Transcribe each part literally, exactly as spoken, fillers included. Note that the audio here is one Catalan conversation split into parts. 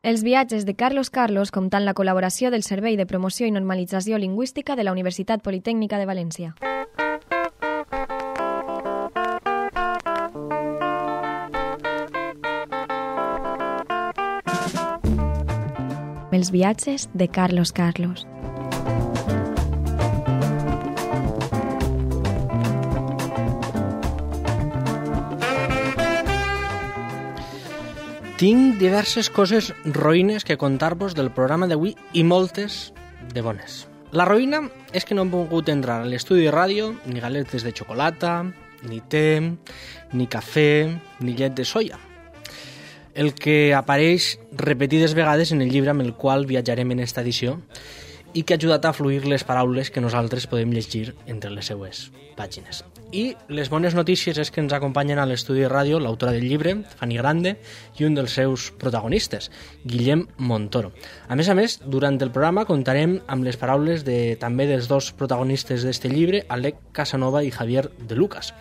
Els viatges de Carlos Carlos comptant la col·laboració del Servei de Promoció i Normalització Lingüística de la Universitat Politècnica de València. Els viatges de Carlos Carlos. Tinc diverses coses roïnes que contar-vos del programa d'avui i moltes de bones. La roïna és que no hem pogut entrar a l'estudi de ràdio ni galetes de xocolata, ni té, ni cafè, ni llet de soia. El que apareix repetides vegades en el llibre amb el qual viatjarem en esta edició i que ha ajudat a fluir les paraules que nosaltres podem llegir entre les seues pàgines. I les bones notícies és que ens acompanyen a l'estudi de ràdio l'autora del llibre, Fanny Grande, i un dels seus protagonistes, Guillem Montoro. A més a més, durant el programa contarem amb les paraules de, també dels dos protagonistes d'este llibre, Alec Casanova i Javier de Lucas.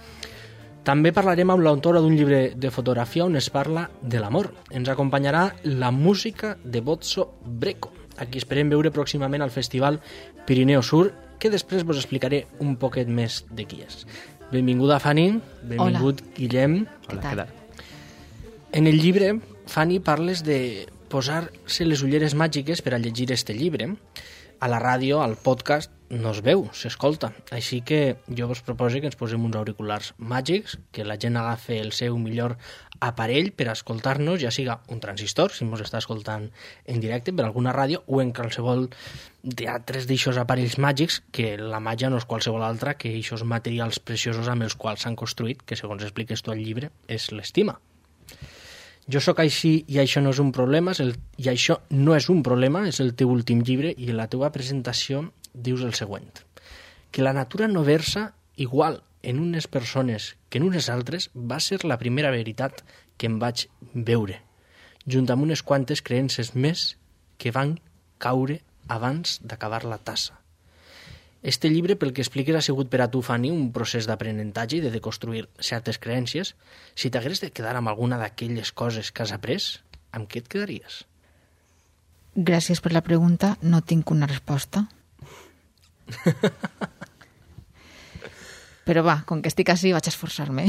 També parlarem amb l'autora d'un llibre de fotografia on es parla de l'amor. Ens acompanyarà la música de Bozzo Breco, a qui esperem veure pròximament al Festival Pirineu Sur, que després vos explicaré un poquet més de qui és. Benvinguda, Fanny. Benvingut, Hola. Guillem. Hola, què tal? En el llibre, Fanny, parles de posar-se les ulleres màgiques per a llegir este llibre. A la ràdio, al podcast, no es veu, s'escolta. Així que jo vos proposo que ens posem uns auriculars màgics, que la gent agafi el seu millor aparell per a escoltar-nos, ja siga un transistor, si ens està escoltant en directe per alguna ràdio, o en qualsevol d'altres d'aixòs aparells màgics, que la màgia no és qualsevol altra que aquests materials preciosos amb els quals s'han construït, que segons expliques tu al llibre, és l'estima. Jo sóc així i això no és un problema, és el, i això no és un problema, és el teu últim llibre, i en la teva presentació dius el següent, que la natura no versa igual en unes persones que en unes altres va ser la primera veritat que em vaig veure, junt amb unes quantes creences més que van caure abans d'acabar la tassa. Este llibre, pel que expliques, ha sigut per a tu, Fanny, un procés d'aprenentatge i de deconstruir certes creences. Si t'hagués de quedar amb alguna d'aquelles coses que has après, amb què et quedaries? Gràcies per la pregunta. No tinc una resposta. Però va, com que estic així, vaig esforçar-me.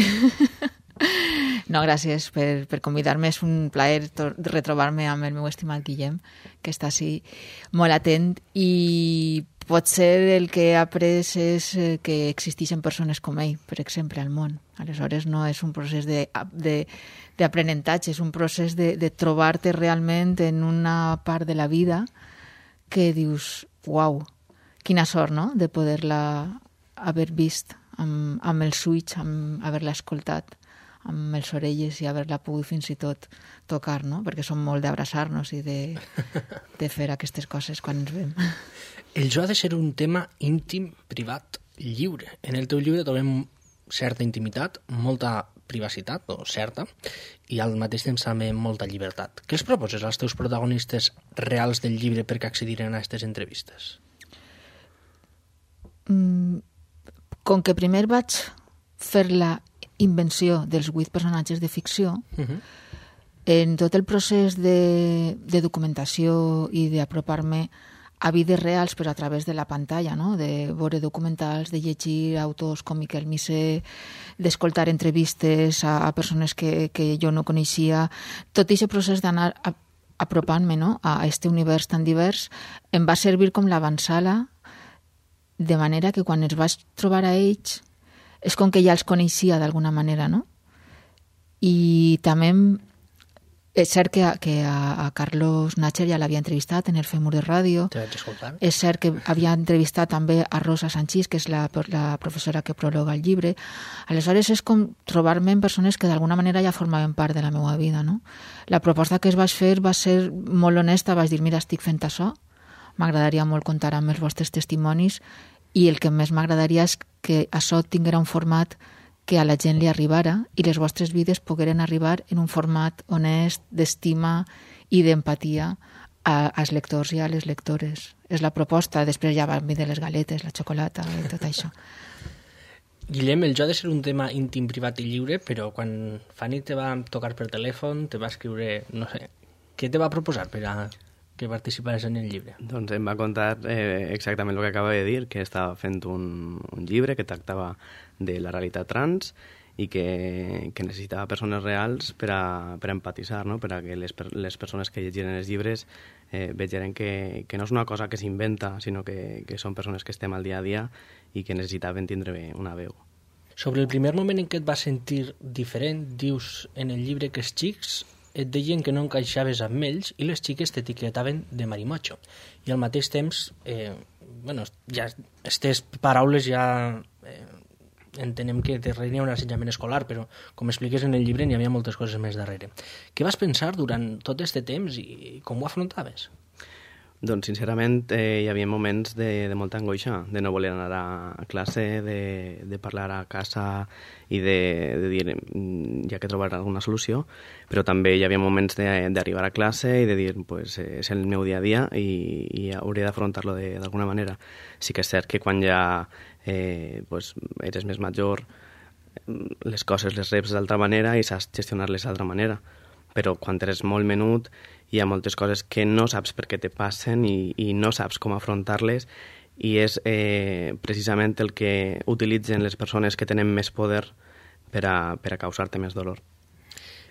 No, gràcies per, per convidar-me. És un plaer retrobar-me amb el meu estimat Guillem, que està així molt atent, i potser el que he après és que existeixen persones com ell, per exemple, al món. Aleshores no és un procés d'aprenentatge, és un procés de, de trobar-te realment en una part de la vida que dius, uau, quina sort, no?, de poder-la haver vist amb, amb els ulls, amb haver-la escoltat amb les orelles i haver-la pogut fins i tot tocar, no?, perquè som molt d'abraçar-nos i de, de fer aquestes coses quan ens veiem. El jo ha de ser un tema íntim, privat, lliure. En el teu llibre trobem certa intimitat, molta privacitat, o certa, i al mateix temps també molta llibertat. Què els proposes als teus protagonistes reals del llibre perquè accediren a aquestes entrevistes? Mm, com que primer vaig fer la invenció dels vuit personatges de ficció, uh-huh. en tot el procés de, de documentació i d'apropar-me a vides reals, però a través de la pantalla, no?, de veure documentals, de llegir autors com Miquel Missé, d'escoltar entrevistes a, a persones que, que jo no coneixia, tot aquest procés d'anar a, apropant-me, no?, a aquest univers tan divers, em va servir com l'avançala, de manera que quan els vaig trobar a ells és com que ja els coneixia d'alguna manera, no? I també és cert que a, que a, a Carlos Nacher ja l'havia entrevistat en el Femur de Ràdio. Te vaig escoltar. És cert que havia entrevistat també a Rosa Sanchís, que és la, la professora que prologa el llibre. Aleshores és com trobar-me amb persones que d'alguna manera ja formaven part de la meva vida, no? La proposta que es vaig fer va ser molt honesta, vaig dir, mira, estic fent això, m'agradaria molt comptar amb els vostres testimonis, i el que més m'agradaria és que això tinguera un format que a la gent li arribara i les vostres vides pogueren arribar en un format honest, d'estima i d'empatia als lectors i a les lectores. És la proposta, després ja van venir les galetes, la xocolata i tot això. Guillem, el jo ha de ser un tema íntim, privat i lliure, però quan Fanny te va tocar per telèfon, te va escriure, no sé, què te va proposar per a que participares en el llibre? Doncs em va contar eh, exactament el que acaba de dir, que estava fent un, un llibre que tractava de la realitat trans i que, que necessitava persones reals per a, per a empatitzar, no? Per a que les, les persones que llegiren els llibres eh, vegeren que, que no és una cosa que s'inventa, sinó que, que són persones que estem al dia a dia i que necessitaven tindre una veu. Sobre el primer moment en què et vas sentir diferent, dius en el llibre que els xics et deien que no encaixaves amb ells i les xiques t'etiquetaven de marimocho. I al mateix temps, eh, bueno, ja aquestes paraules ja eh, entenem que darrere hi ha un assetjament escolar, però com expliques en el llibre n'hi havia moltes coses més darrere. Què vas pensar durant tot aquest temps i com ho afrontaves? Doncs, sincerament, eh, hi havia moments de, de molta angoixa, de no voler anar a classe, de, de parlar a casa i de, de dir, ja que trobar alguna solució, però també hi havia moments d'arribar a classe i de dir, pues, eh, és el meu dia a dia i, i hauré d'afrontar-lo d'alguna manera. Sí que és cert que quan ja eh, pues, eres més major, les coses les reps d'altra manera i saps gestionar-les d'altra manera, però quan eres molt menut hi ha moltes coses que no saps per què te passen i, i no saps com afrontar-les i és eh, precisament el que utilitzen les persones que tenen més poder per a, per a causar-te més dolor.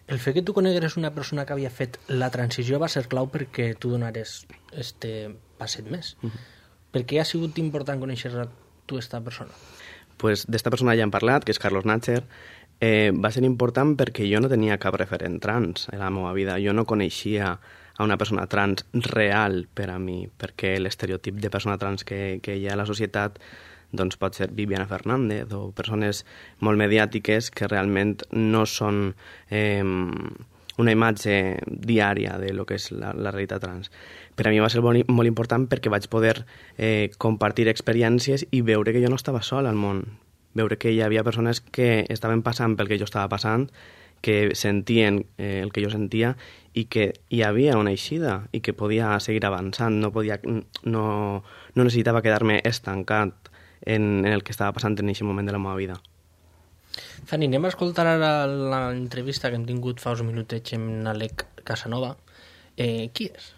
El fet que tu conegueres una persona que havia fet la transició va ser clau perquè tu donares este passet més. Uh-huh. Per què ha sigut important conèixer a tu esta persona? Pues d'esta persona ja hem parlat, que és Carlos Natcher. Eh, va ser important perquè jo no tenia cap referent trans en la meva vida. Jo no coneixia a una persona trans real per a mi, perquè l'estereotip de persona trans que, que hi ha a la societat doncs pot ser Viviana Fernández o persones molt mediàtiques que realment no són eh, una imatge diària de lo que és la, la realitat trans. Per a mi va ser molt, molt important perquè vaig poder eh, compartir experiències i veure que jo no estava sol al món, veure que hi havia persones que estaven passant pel que jo estava passant, que sentien eh, el que jo sentia i que hi havia una eixida i que podia seguir avançant, no, podia, no, no necessitava quedar-me estancat en, en el que estava passant en aquest moment de la meva vida. Fanny, anem a escoltar ara l'entrevista que hem tingut fa uns minutets amb Alec Casanova. Eh, qui és?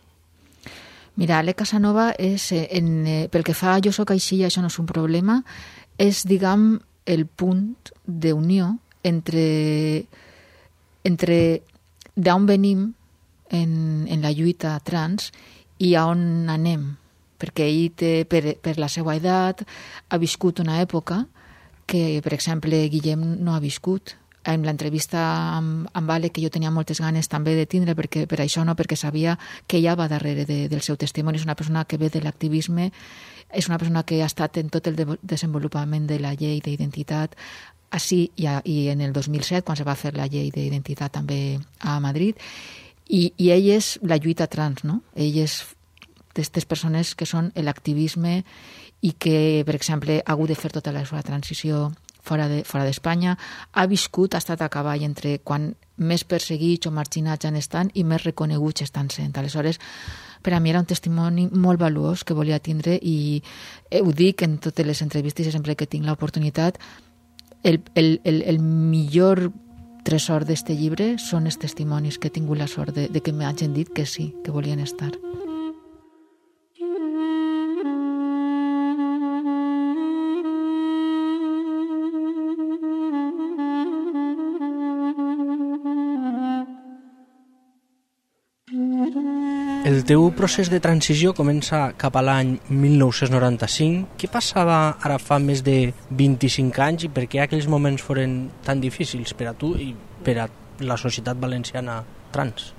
Mira, Alec Casanova és, en, eh, pel que fa a Jo soc així i això no és un problema, és, diguem, el punt d'unió entre, entre d'on venim en, en la lluita trans i a on anem. Perquè ell, té, per, per la seva edat, ha viscut una època que, per exemple, Guillem no ha viscut. En l'entrevista amb, amb Ale, que jo tenia moltes ganes també de tindre, perquè, per això no, perquè sabia que ella va darrere de, del seu testimoni. És una persona que ve de l'activisme, és una persona que ha estat en tot el de, desenvolupament de la llei d'identitat així i, a, i en el dos mil set, quan se va fer la llei d'identitat també a Madrid, i, i ell és la lluita trans, no? Ell és d'aquestes persones que són l'activisme i que, per exemple, ha hagut de fer tota la seva transició fora de, fora d'Espanya, ha viscut, ha estat a cavall entre quan més perseguits o marginats han estat i més reconeguts estan sent. Aleshores, per a mi era un testimoni molt valuós que volia tindre i eh, ho dic en totes les entrevistes i sempre que tinc l'oportunitat, el, el, el, el millor tresor d'este llibre són els testimonis que he tingut la sort de, de que m'hagin dit que sí, que volien estar. El teu procés de transició comença cap a l'any mil nou-cents noranta-cinc. Què passava ara fa més de vint-i-cinc anys i per què aquells moments foren tan difícils per a tu i per a la societat valenciana trans?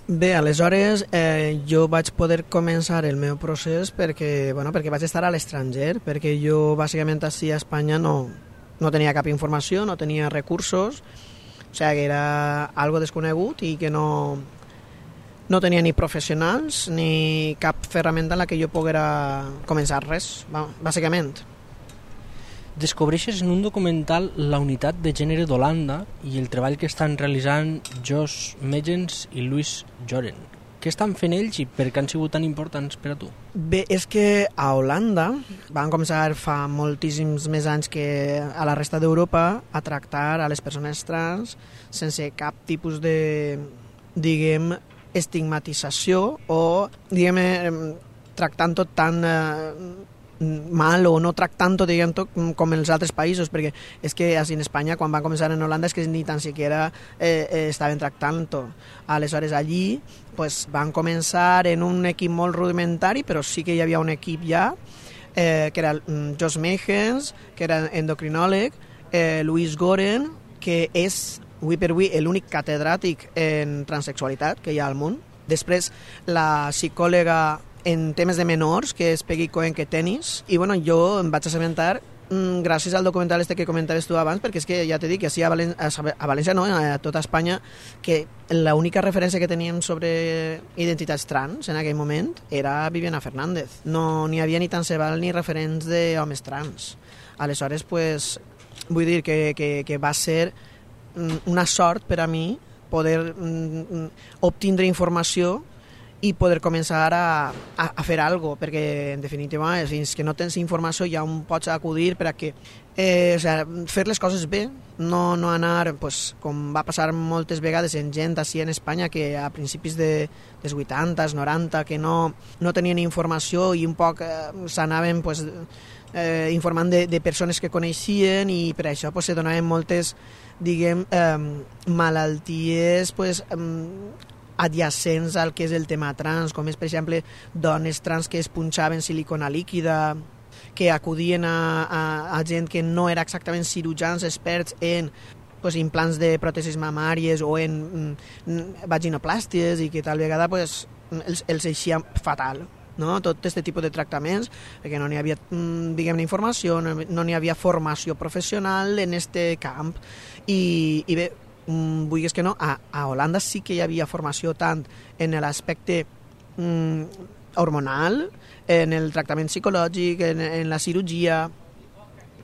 Bé, aleshores eh, jo vaig poder començar el meu procés perquè, bueno, perquè vaig estar a l'estranger, perquè jo bàsicament així a Espanya no, no tenia cap informació, no tenia recursos, o sigui que era algo desconegut i que no... No tenia ni professionals ni cap ferramenta en la que jo poguera començar res, bàsicament. Descobreixes en un documental la unitat de gènere d'Holanda i el treball que estan realitzant Josh Megens i Louis Joren. Què estan fent ells i per què han sigut tan importants per a tu? Bé, és que a Holanda van començar fa moltíssims més anys que a la resta d'Europa a tractar a les persones trans sense cap tipus de, diguem, estigmatització o, diguem, tractant tot tan eh, mal o no tractant-ho, diguem, tot com els altres països, perquè és que així en Espanya, quan van començar en Holanda, és que ni tan siquiera eh, eh, estaven tractant-ho. Aleshores, allí pues, van començar en un equip molt rudimentari, però sí que hi havia un equip ja, eh, que era mm, Josh Mehens, que era endocrinòleg, eh, Louise Goren, que és, avui per avui, l'únic catedràtic en transsexualitat que hi ha al món. Després, la psicòloga en temes de menors, que és Peggy Cohen Ketenis, i bueno, jo em vaig assabentar mm, gràcies al documental este que comentaves tu abans, perquè és que ja t'he dit que així a, Valen a, a València, no, a tota Espanya, que l'única referència que teníem sobre identitats trans en aquell moment era Viviana Fernández. No n'hi havia ni tant se val ni referents d'homes trans. Aleshores, pues, vull dir que, que, que va ser mm, una sort per a mi poder mm, obtindre informació i poder començar a, a, a fer alguna cosa, perquè en definitiva fins que no tens informació ja on pots acudir per a que eh, o sea, fer les coses bé, no, no anar pues, com va passar moltes vegades en gent així en Espanya que a principis de, dels vuitanta, noranta, que no, no tenien informació i un poc eh, s'anaven pues, eh, informant de, de persones que coneixien i per això pues, se donaven moltes diguem, eh, malalties pues, eh, adjacents al que és el tema trans, com és, per exemple, dones trans que es punxaven silicona líquida, que acudien a, a, a gent que no era exactament cirurgians experts en pues, implants de pròtesis mamàries o en mm, vaginoplàsties i que tal vegada pues, els, els eixia fatal. No? Tot aquest tipus de tractaments, perquè no n'hi havia diguem, informació, no n'hi havia formació professional en aquest camp. I, i bé, Mm, vulguis que no, a, a Holanda sí que hi havia formació tant en l'aspecte mm, hormonal, en el tractament psicològic, en, en la cirurgia,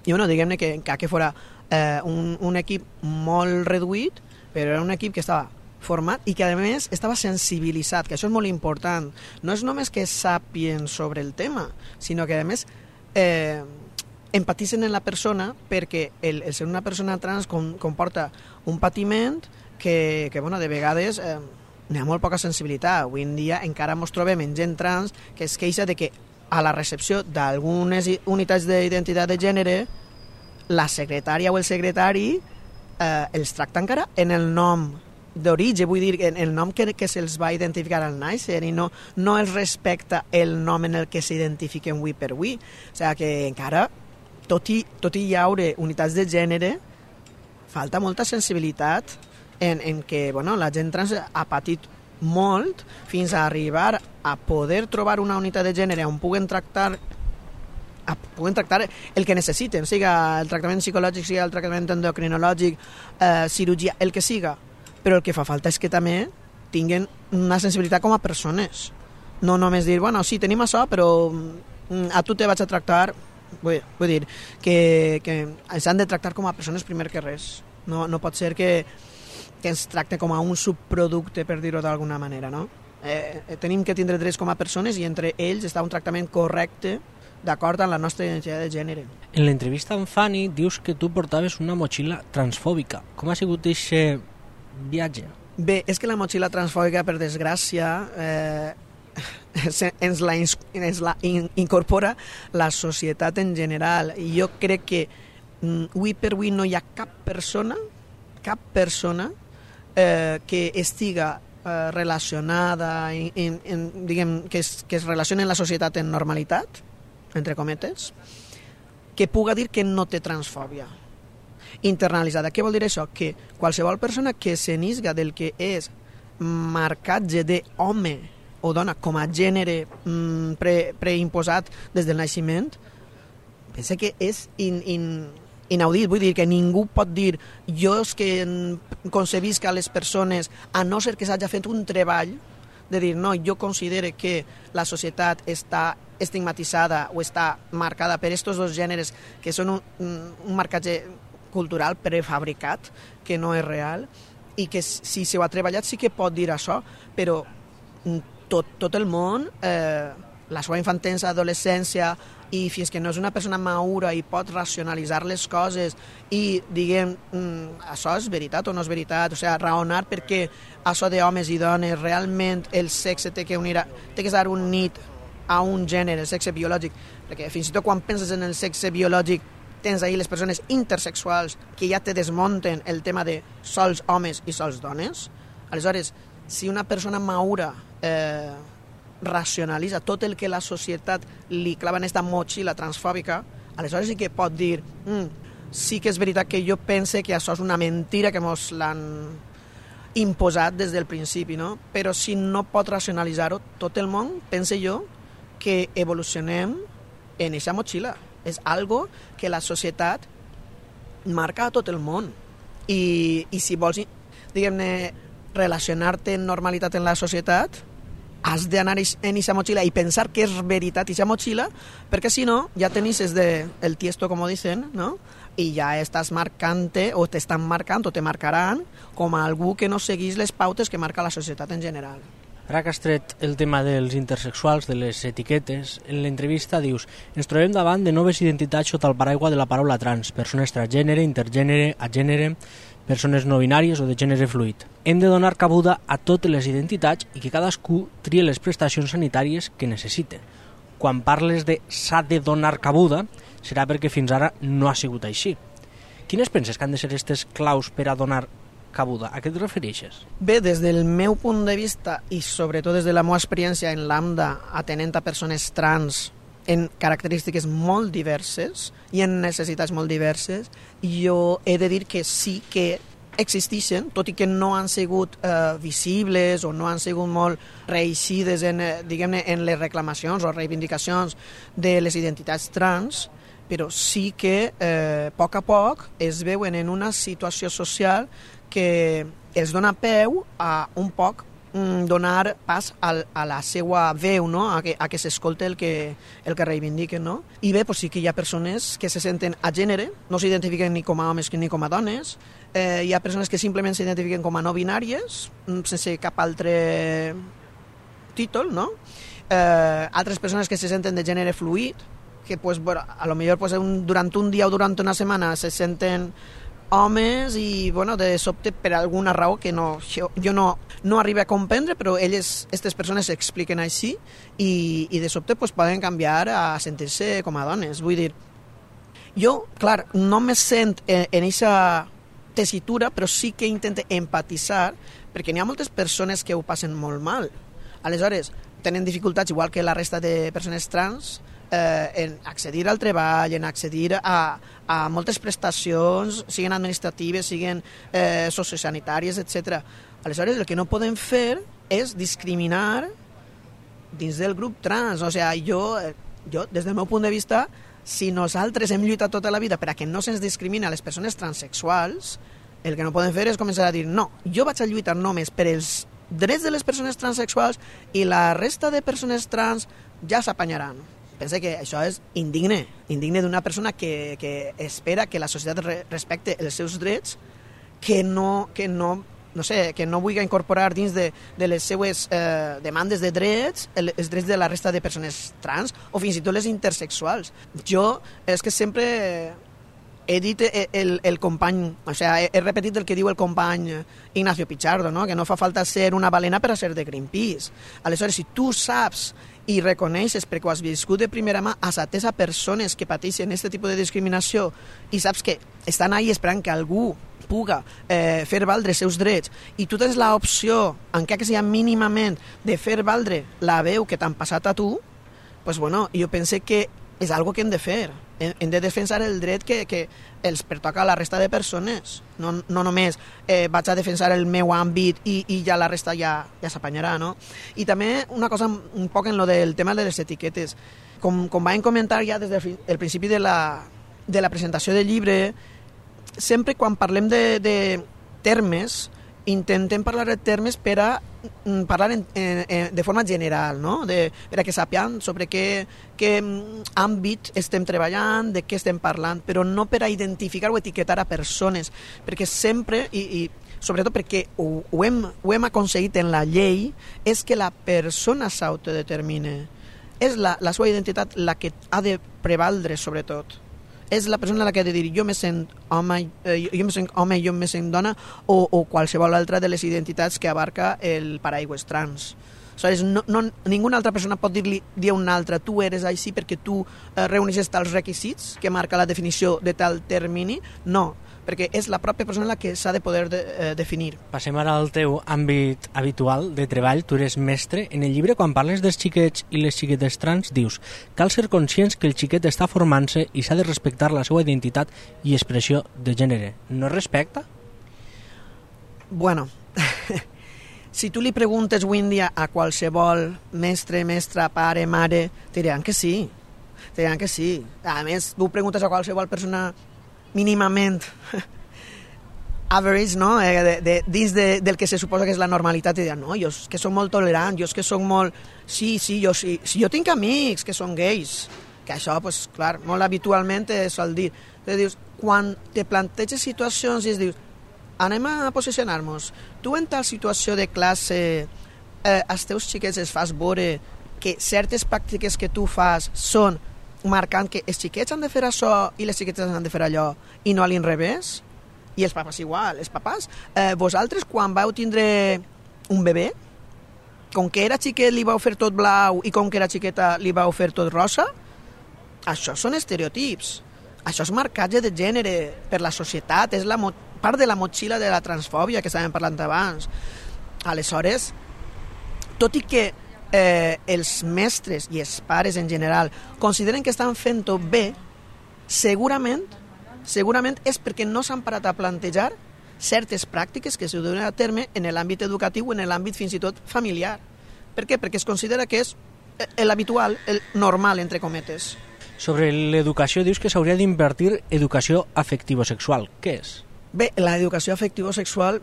i bueno, diguem-ne que encara que fora eh, un, un equip molt reduït, però era un equip que estava format i que a més estava sensibilitzat, que això és molt important. No és només que sàpien sobre el tema, sinó que a més eh, empatitzen en la persona perquè el, el ser una persona trans com, comporta un patiment que, que bueno, de vegades eh, n'hi ha molt poca sensibilitat. Avui en dia encara ens trobem en gent trans que es queixa de que a la recepció d'algunes unitats d'identitat de gènere la secretària o el secretari eh, els tracta encara en el nom d'origen, vull dir, en el nom que, que se'ls va identificar al nàixer i no, no els respecta el nom en el que s'identifiquen avui per avui. O sigui que encara tot i, tot i hi haure unitats de gènere, falta molta sensibilitat en, en que bueno, la gent trans ha patit molt fins a arribar a poder trobar una unitat de gènere on puguen tractar, a, puguen tractar el que necessiten, siga el tractament psicològic, siga el tractament endocrinològic, eh, cirurgia, el que siga. Però el que fa falta és que també tinguin una sensibilitat com a persones. No només dir, bueno, sí, tenim això, però a tu te vaig a tractar. Vull, vull dir que, que ens han de tractar com a persones primer que res. No, no pot ser que, que ens tracte com a un subproducte, per dir-ho d'alguna manera, no? Eh, tenim que tindre drets com a persones i entre ells està un tractament correcte d'acord amb la nostra identitat de gènere. En l'entrevista amb Fanny dius que tu portaves una motxilla transfòbica. Com ha sigut aquest viatge? Bé, és que la motxilla transfòbica, per desgràcia, eh, ens la, ens la incorpora la societat en general i jo crec que avui per avui no hi ha cap persona cap persona eh, que estiga eh, relacionada en, en, en, diguem, que es, que es relaciona en la societat en normalitat, entre cometes, que puga dir que no té transfòbia internalitzada. Què vol dir això? Que qualsevol persona que se nisga del que és marcatge d'home o dona com a gènere mm, pre, preimposat des del naixement, pensa que és in, in, inaudit. Vull dir que ningú pot dir jo és que concebisc a les persones, a no ser que s'hagi fet un treball de dir no, jo considero que la societat està estigmatitzada o està marcada per aquests dos gèneres que són un, un marcatge cultural prefabricat, que no és real, i que si s'ho ha treballat sí que pot dir això, però tot, tot el món eh, la seva infantesa, adolescència, i fins que no és una persona madura i pot racionalitzar les coses i, diguem, mm, això és veritat o no és veritat, o sigui, raonar perquè això d'homes i dones, realment el sexe té que unir, a, té que ser unit a un gènere, el sexe biològic, perquè fins i tot quan penses en el sexe biològic tens ahir les persones intersexuals que ja te desmunten el tema de sols homes i sols dones. Aleshores, si una persona madura eh, racionalitza tot el que la societat li clava en aquesta motxilla transfòbica, aleshores sí que pot dir mm, sí que és veritat que jo pense que això és una mentira que mos l'han imposat des del principi, no? Però si no pot racionalitzar-ho tot el món, pense jo que evolucionem en aquesta motxilla. És algo que la societat marca a tot el món. I, i si vols, diguem-ne, relacionar-te en normalitat en la societat, has d'anar en aquesta motxilla i pensar que és veritat aquesta motxilla, perquè si no, ja tenis de, el tiesto, com dicen, no? I ja estàs marcant-te, o t'estan marcant, o te marcaran, com a algú que no seguís les pautes que marca la societat en general. Ara que has tret el tema dels intersexuals, de les etiquetes, en l'entrevista dius: ens trobem davant de noves identitats sota el paraigua de la paraula trans, persones transgènere, intergènere, agènere, persones no binàries o de gènere fluid. Hem de donar cabuda a totes les identitats i que cadascú trie les prestacions sanitàries que necessite. Quan parles de s'ha de donar cabuda, serà perquè fins ara no ha sigut així. Quines penses que han de ser aquestes claus per a donar cabuda? A què et refereixes? Bé, des del meu punt de vista i sobretot des de la meva experiència en l'AMDA atenent a persones trans en característiques molt diverses i en necessitats molt diverses, jo he de dir que sí que existeixen, tot i que no han sigut eh, visibles o no han sigut molt reeixides en, eh, diguem-ne, en les reclamacions o reivindicacions de les identitats trans, però sí que eh, a poc a poc es veuen en una situació social que els dona peu a un poc mm, donar pas al, a la seva veu, no? a que, a que s'escolte el que, el que reivindiquen. No? I bé, pues sí que hi ha persones que se senten a gènere, no s'identifiquen ni com a homes ni com a dones, eh, hi ha persones que simplement s'identifiquen com a no binàries, sense cap altre títol, no? Eh, altres persones que se senten de gènere fluid, que pues, bueno, a lo millor pues, un, durant un dia o durant una setmana se senten homes i, bueno, de sobte per alguna raó que no, jo, jo no, no arribo a comprendre, però elles, aquestes persones s'expliquen així i, i de sobte pues, poden canviar a sentir-se com a dones. Vull dir, jo, clar, no me sent en aquesta tessitura, però sí que intento empatitzar, perquè n'hi ha moltes persones que ho passen molt mal. Aleshores, tenen dificultats, igual que la resta de persones trans, Eh, en accedir al treball, en accedir a, a moltes prestacions, siguin administratives, siguin eh, sociosanitàries, etcètera. Aleshores, el que no podem fer és discriminar dins del grup trans. O sigui, jo, jo, des del meu punt de vista, si nosaltres hem lluitat tota la vida per a que no se'ns discrimini a les persones transexuals, el que no podem fer és començar a dir no, jo vaig a lluitar només per els drets de les persones transexuals i la resta de persones trans ja s'apanyaran. Pensa que això és indigne, indigne d'una persona que, que espera que la societat re, respecte els seus drets, que no, que no, no sé, que no vulgui incorporar dins de, de les seues eh, demandes de drets el, els drets de la resta de persones trans o fins i tot les intersexuals. Jo és que sempre he dit el, el company, o sigui, he repetit el que diu el company Ignacio Pichardo, no? Que no fa falta ser una balena per a ser de Greenpeace. Aleshores, si tu saps i reconeixes, perquè ho has viscut de primera mà, has atès a persones que pateixen aquest tipus de discriminació i saps que estan ahí esperant que algú puga eh, fer valdre els seus drets i tu tens l'opció, encara que sigui mínimament, de fer valdre la veu que t'han passat a tu, pues bueno, jo penso que és algo que hem de fer. Hem de defensar el dret que, que els pertoca a la resta de persones. No, no només eh, vaig a defensar el meu àmbit i, i ja la resta ja, ja s'apanyarà, no? I també una cosa un poc en lo del tema de les etiquetes. Com, com vam comentar ja des del principi de la, de la presentació del llibre, sempre quan parlem de, de termes, intentem parlar de termes per a parlar en, en, de forma general, no? De, per a que sapiem sobre què, què àmbit estem treballant, de què estem parlant, però no per a identificar o etiquetar a persones, perquè sempre, i, i sobretot perquè ho, ho, hem, ho hem aconseguit en la llei, és que la persona s'autodetermine. és la, la seva identitat la que ha de prevaldre sobretot. És la persona la que ha de dir jo me sent home, eh, jo me sent home, jo me sent dona, o, o qualsevol altra de les identitats que abarca el paraigües trans. Aleshores, no, no, ninguna altra persona pot dir-li dir a una altra tu eres així perquè tu eh, reuneixes tals requisits que marca la definició de tal termini. No, perquè és la pròpia persona la que s'ha de poder de, eh, definir. Passem ara al teu àmbit habitual de treball. Tu eres mestre. En el llibre, quan parles dels xiquets i les xiquetes trans, dius cal ser conscients que el xiquet està formant-se i s'ha de respectar la seva identitat i expressió de gènere. No es respecta? Bueno... Si tu li preguntes avui en dia a qualsevol mestre, mestra, pare, mare, te diran que sí. Te diran que sí. A més, tu preguntes a qualsevol persona mínimament average, no? Eh, de, de, dins de, del que se suposa que és la normalitat, te diran, no, jo és que soc molt tolerant, jo és que soc molt... Sí, sí, jo sí. Si jo tinc amics que són gais, que això, pues, clar, molt habitualment es sol dir. Te dius, quan te planteges situacions i es dius, anem a posicionar-nos. Tu en tal situació de classe eh, als teus xiquets els fas veure que certes pràctiques que tu fas són marcant que els xiquets han de fer això i les xiquetes han de fer allò i no a l'inrevés? I els papes igual. Els papes, eh, vosaltres quan vau tindre un bebè, com que era xiquet li vau fer tot blau i com que era xiqueta li vau fer tot rosa? Això són estereotips. Això és marcatge de gènere per la societat, és la part de la motxilla de la transfòbia que estàvem parlant abans. Aleshores, tot i que eh, els mestres i els pares en general consideren que estan fent-ho bé, segurament, segurament és perquè no s'han parat a plantejar certes pràctiques que se duen a terme en l'àmbit educatiu o en l'àmbit fins i tot familiar. Per què? Perquè es considera que és l'habitual, el normal, entre cometes. Sobre l'educació dius que s'hauria d'invertir educació afectivo-sexual. Què és? Bé, l'educació afectivo-sexual,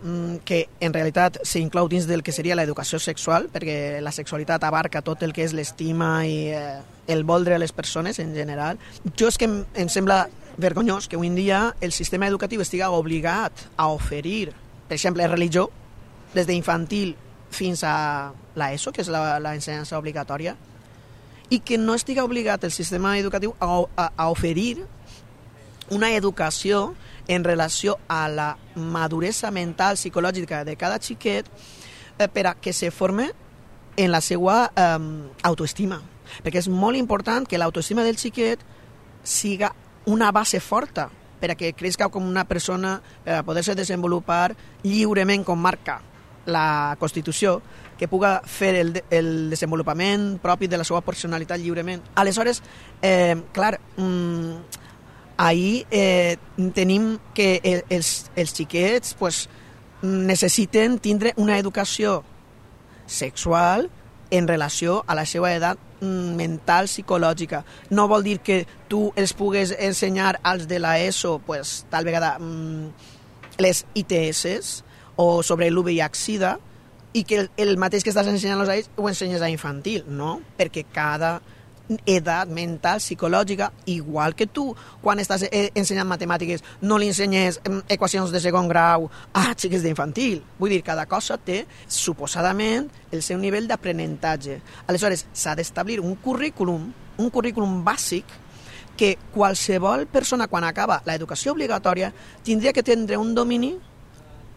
que en realitat s'inclou dins del que seria l'educació sexual, perquè la sexualitat abarca tot el que és l'estima i eh, el voldre a les persones en general. Jo és que em, em sembla vergonyós que avui en dia el sistema educatiu estiga obligat a oferir, per exemple, religió, des d'infantil fins a l'ESO, que és l'ensenyança obligatòria, i que no estiga obligat el sistema educatiu a, a, a oferir una educació en relació a la maduresa mental psicològica de cada xiquet eh, per a que se forme en la seva eh, autoestima. Perquè és molt important que l'autoestima del xiquet siga una base forta per a que creixi com una persona, per a poder-se desenvolupar lliurement com marca la Constitució, que puga fer el, el desenvolupament propi de la seva personalitat lliurement. Aleshores, eh, clar, mmm, ahir eh, tenim que els, els xiquets pues, necessiten tindre una educació sexual en relació a la seva edat mental, psicològica. No vol dir que tu els pugues ensenyar als de l'ESO pues, tal vegada les I T S o sobre l'U V I H SIDA i que el, el mateix que estàs ensenyant-los a ells ho ensenyes a infantil, no? Perquè cada edat mental, psicològica, igual que tu, quan estàs ensenyant matemàtiques, no li ensenyes equacions de segon grau a xiques d'infantil. Vull dir, cada cosa té, suposadament, el seu nivell d'aprenentatge. Aleshores, s'ha d'establir un currículum, un currículum bàsic, que qualsevol persona, quan acaba l'educació obligatòria, tindria que tindre un domini,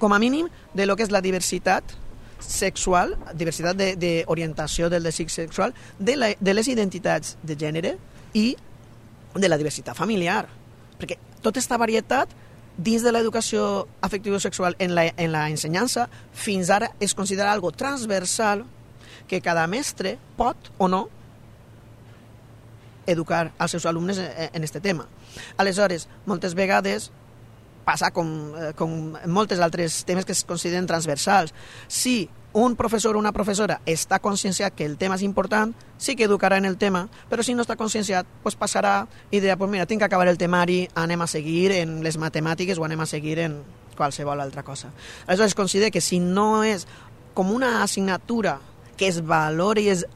com a mínim, de lo que és la diversitat sexual, diversitat d'orientació de, del desig sexual, de, la, de les identitats de gènere i de la diversitat familiar. Perquè tota aquesta varietat dins de l'educació afectivo-sexual en la, en la ensenyança fins ara es considera algo transversal que cada mestre pot o no educar als seus alumnes en aquest tema. Aleshores, moltes vegades passa com, com moltes altres temes que es consideren transversals. Si un professor o una professora està conscienciat que el tema és important, sí que educarà en el tema, però si no està conscienciat, pues passarà i dirà, pues mira, tinc que acabar el temari, anem a seguir en les matemàtiques o anem a seguir en qualsevol altra cosa. Aleshores, considero que si no és com una assignatura que es valori i es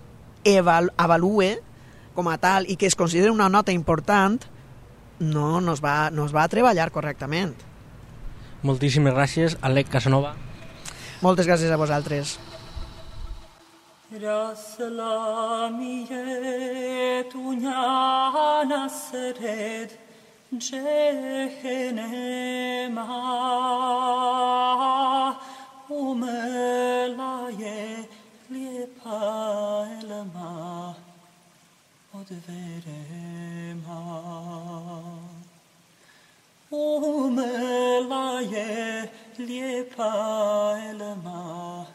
avalue com a tal i que es consideri una nota important, no nos va, nos va a treballar correctament. Moltíssimes gràcies, Alec Casanova. Moltes gràcies a vosaltres. Raslamiye tunyana sered cehenema umelaye liepa elma odverema umelaye liepa elma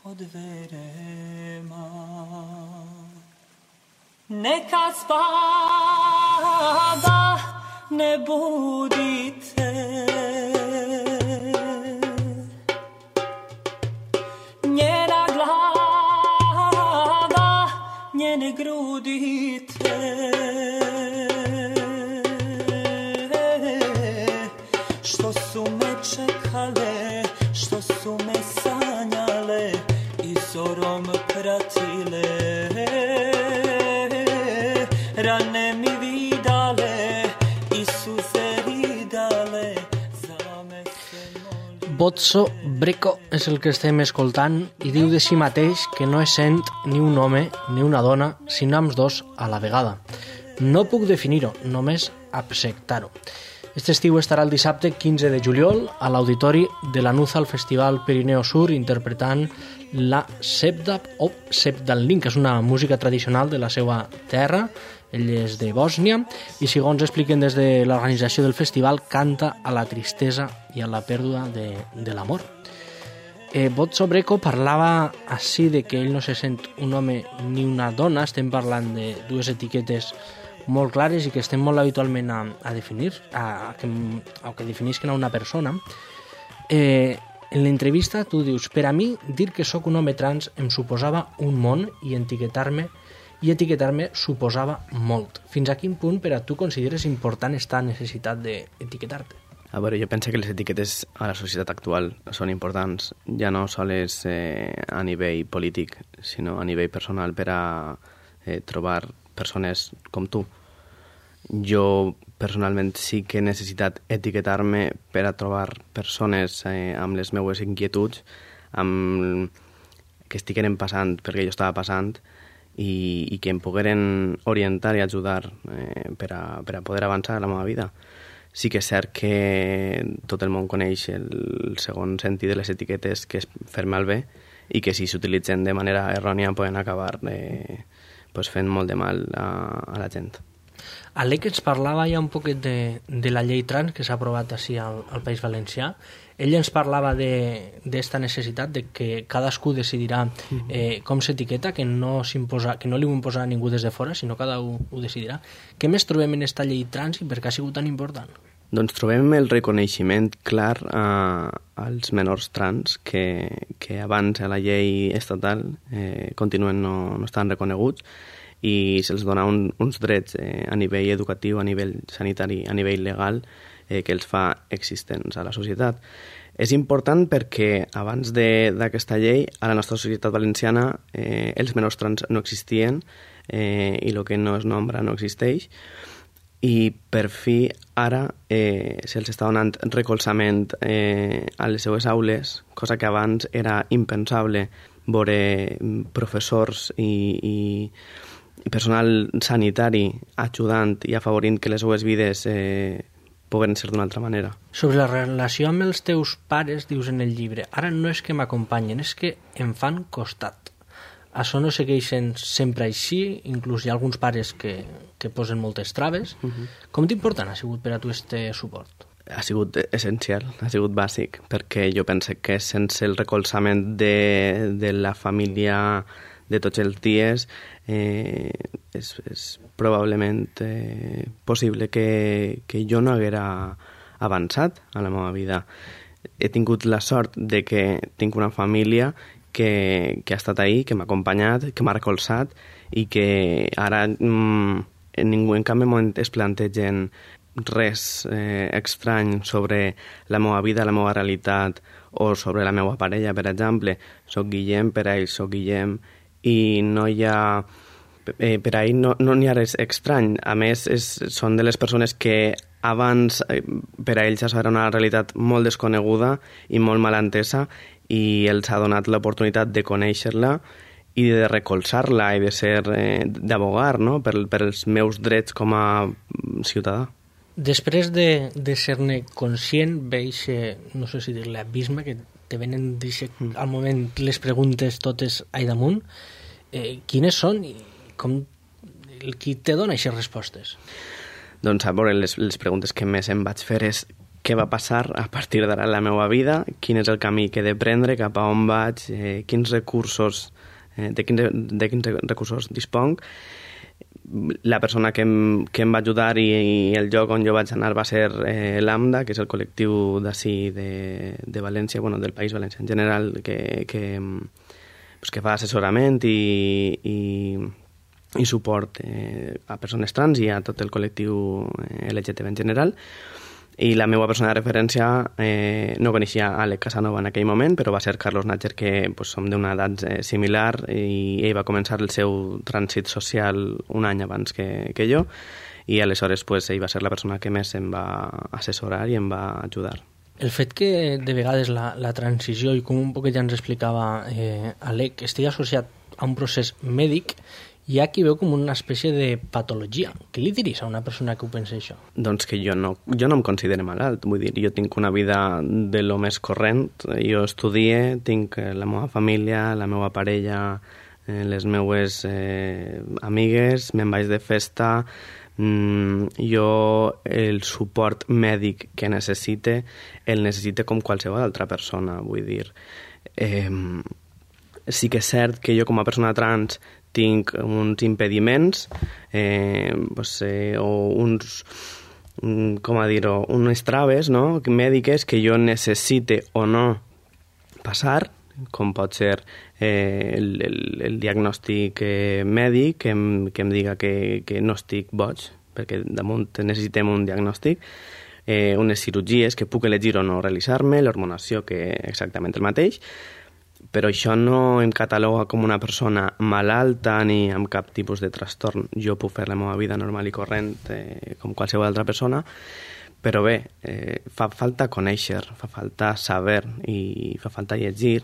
odverema neka spava ne budite njena glava njene grudite što su me čekale što su me sanjale i zorom pratile rane mi vidale i suze ridale za me se molí. Bozzo Brecco és el que estem escoltant i diu de si mateix que no es sent ni un home ni una dona, sinó amb dos a la vegada. No puc definir-ho, només acceptar-ho. Este estiu estarà el dissabte quinze de juliol a l'auditori de la Nuza al Festival Pirineo Sur interpretant la Sebda o Sebdalin, que és una música tradicional de la seva terra. Ell és de Bòsnia i, segons expliquen des de l'organització del festival, canta a la tristesa i a la pèrdua de, de l'amor. Eh, Bozzo Brecco parlava així de que ell no se sent un home ni una dona. Estem parlant de dues etiquetes molt clares i que estem molt habitualment a, a definir, a, a, que, a que definisquen a una persona. Eh, en l'entrevista tu dius, per a mi, dir que sóc un home trans em suposava un món i etiquetar-me i etiquetar-me suposava molt. Fins a quin punt per a tu consideres important esta necessitat d'etiquetar-te? A veure, jo penso que les etiquetes a la societat actual són importants, ja no sols eh, a nivell polític, sinó a nivell personal per a eh, trobar persones com tu. Jo personalment sí que he necessitat etiquetar-me per a trobar persones eh, amb les meues inquietuds, amb que estiguen passant perquè jo estava passant i, i que em pogueren orientar i ajudar eh, per, a, per a poder avançar a la meva vida. Sí que és cert que tot el món coneix el segon sentit de les etiquetes, que és fer malbé, i que si s'utilitzen de manera errònia poden acabar eh, pues fent molt de mal a, a la gent. Alec ens parlava ja un poquet de, de la llei trans que s'ha aprovat així al, al País Valencià. Ell ens parlava d'esta necessitat de que cadascú decidirà eh, com s'etiqueta, que no s'imposa, que no li ho imposa a ningú des de fora, sinó cada un ho decidirà. Què més trobem en esta llei trans i per què ha sigut tan important? Doncs trobem el reconeixement clar a, als menors trans que, que abans a la llei estatal eh, continuen no, no estan reconeguts i se'ls dona un, uns drets eh, a nivell educatiu, a nivell sanitari, a nivell legal, eh, que els fa existents a la societat. És important perquè abans d'aquesta llei a la nostra societat valenciana eh, els menors trans no existien eh, i el que no es nombra no existeix, i per fi ara eh, se'ls està donant recolzament eh, a les seues aules, cosa que abans era impensable veure professors i, i i personal sanitari ajudant i afavorint que les seues vides eh, puguen ser d'una altra manera. Sobre la relació amb els teus pares, dius en el llibre, ara no és que m'acompanyen, és que em fan costat. Això no segueixen sempre així, inclús hi ha alguns pares que, que posen moltes traves. Uh-huh. Com d'important ha sigut per a tu este suport? Ha sigut essencial, ha sigut bàsic, perquè jo penso que sense el recolzament de, de la família de tots els dies eh, és, és probablement eh, possible que, que jo no haguera avançat a la meva vida. He tingut la sort de que tinc una família que, que ha estat ahí, que m'ha acompanyat, que m'ha recolzat i que ara mm, en ningú en cap moment es plantegen res eh, estrany sobre la meva vida, la meva realitat o sobre la meva parella, per exemple. Soc Guillem, per a ells soc Guillem, i no hi ha eh, per ahir no n'hi no ha res estrany. A més, és, són de les persones que abans eh, per a ells això era una realitat molt desconeguda i molt mal entesa, i els ha donat l'oportunitat de conèixer-la i de recolzar-la i de ser eh, d'abogar, no? per, per els meus drets com a ciutadà. Després de, de ser-ne conscient, veig, no sé si dir-li abisme, que te venen mm. al moment les preguntes totes a damunt, eh, quines són i com, qui te dona aquestes respostes? Doncs a veure, les, les preguntes que més em vaig fer és què va passar a partir d'ara en la meva vida, quin és el camí que he de prendre, cap a on vaig, eh, quins recursos, eh, de, quins, de quins recursos disponc. La persona que em, que em va ajudar i, i el lloc on jo vaig anar va ser eh, l'AMDA, que és el col·lectiu d'ací de, de València, bueno, del País Valencià en general, que, que, pues, que fa assessorament i, i, i suport eh, a persones trans i a tot el col·lectiu L G T B en general. I la meva persona de referència eh, no coneixia Àlex Casanova en aquell moment, però va ser Carlos Natcher, que pues, som d'una edat eh, similar, i ell va començar el seu trànsit social un any abans que, que jo, i aleshores pues, ell va ser la persona que més em va assessorar i em va ajudar. El fet que de vegades la, la transició, i com un poc ja ens explicava eh, Àlex, estigui associat a un procés mèdic, hi ha qui veu com una espècie de patologia. Què li diries a una persona que ho pensa això? Doncs que jo no, jo no em considero malalt. Vull dir, jo tinc una vida de lo més corrent. Jo estudie, tinc la meva família, la meva parella, eh, les meues eh, amigues, me'n vaig de festa. Mm, jo el suport mèdic que necessite el necessite com qualsevol altra persona. Vull dir, eh, sí que és cert que jo com a persona trans tinc uns impediments eh, pues, eh, o uns, com a dir-ho, unes traves, no?, mèdiques que jo necessite o no passar, com pot ser eh, el, el, el diagnòstic eh, mèdic que em, que em diga que, que no estic boig, perquè damunt necessitem un diagnòstic, eh, unes cirurgies que puc elegir o no realitzar-me, l'hormonació, que exactament el mateix, però això no em cataloga com una persona malalta ni amb cap tipus de trastorn. Jo puc fer la meva vida normal i corrent eh, com qualsevol altra persona, però bé, eh, fa falta conèixer, fa falta saber i fa falta llegir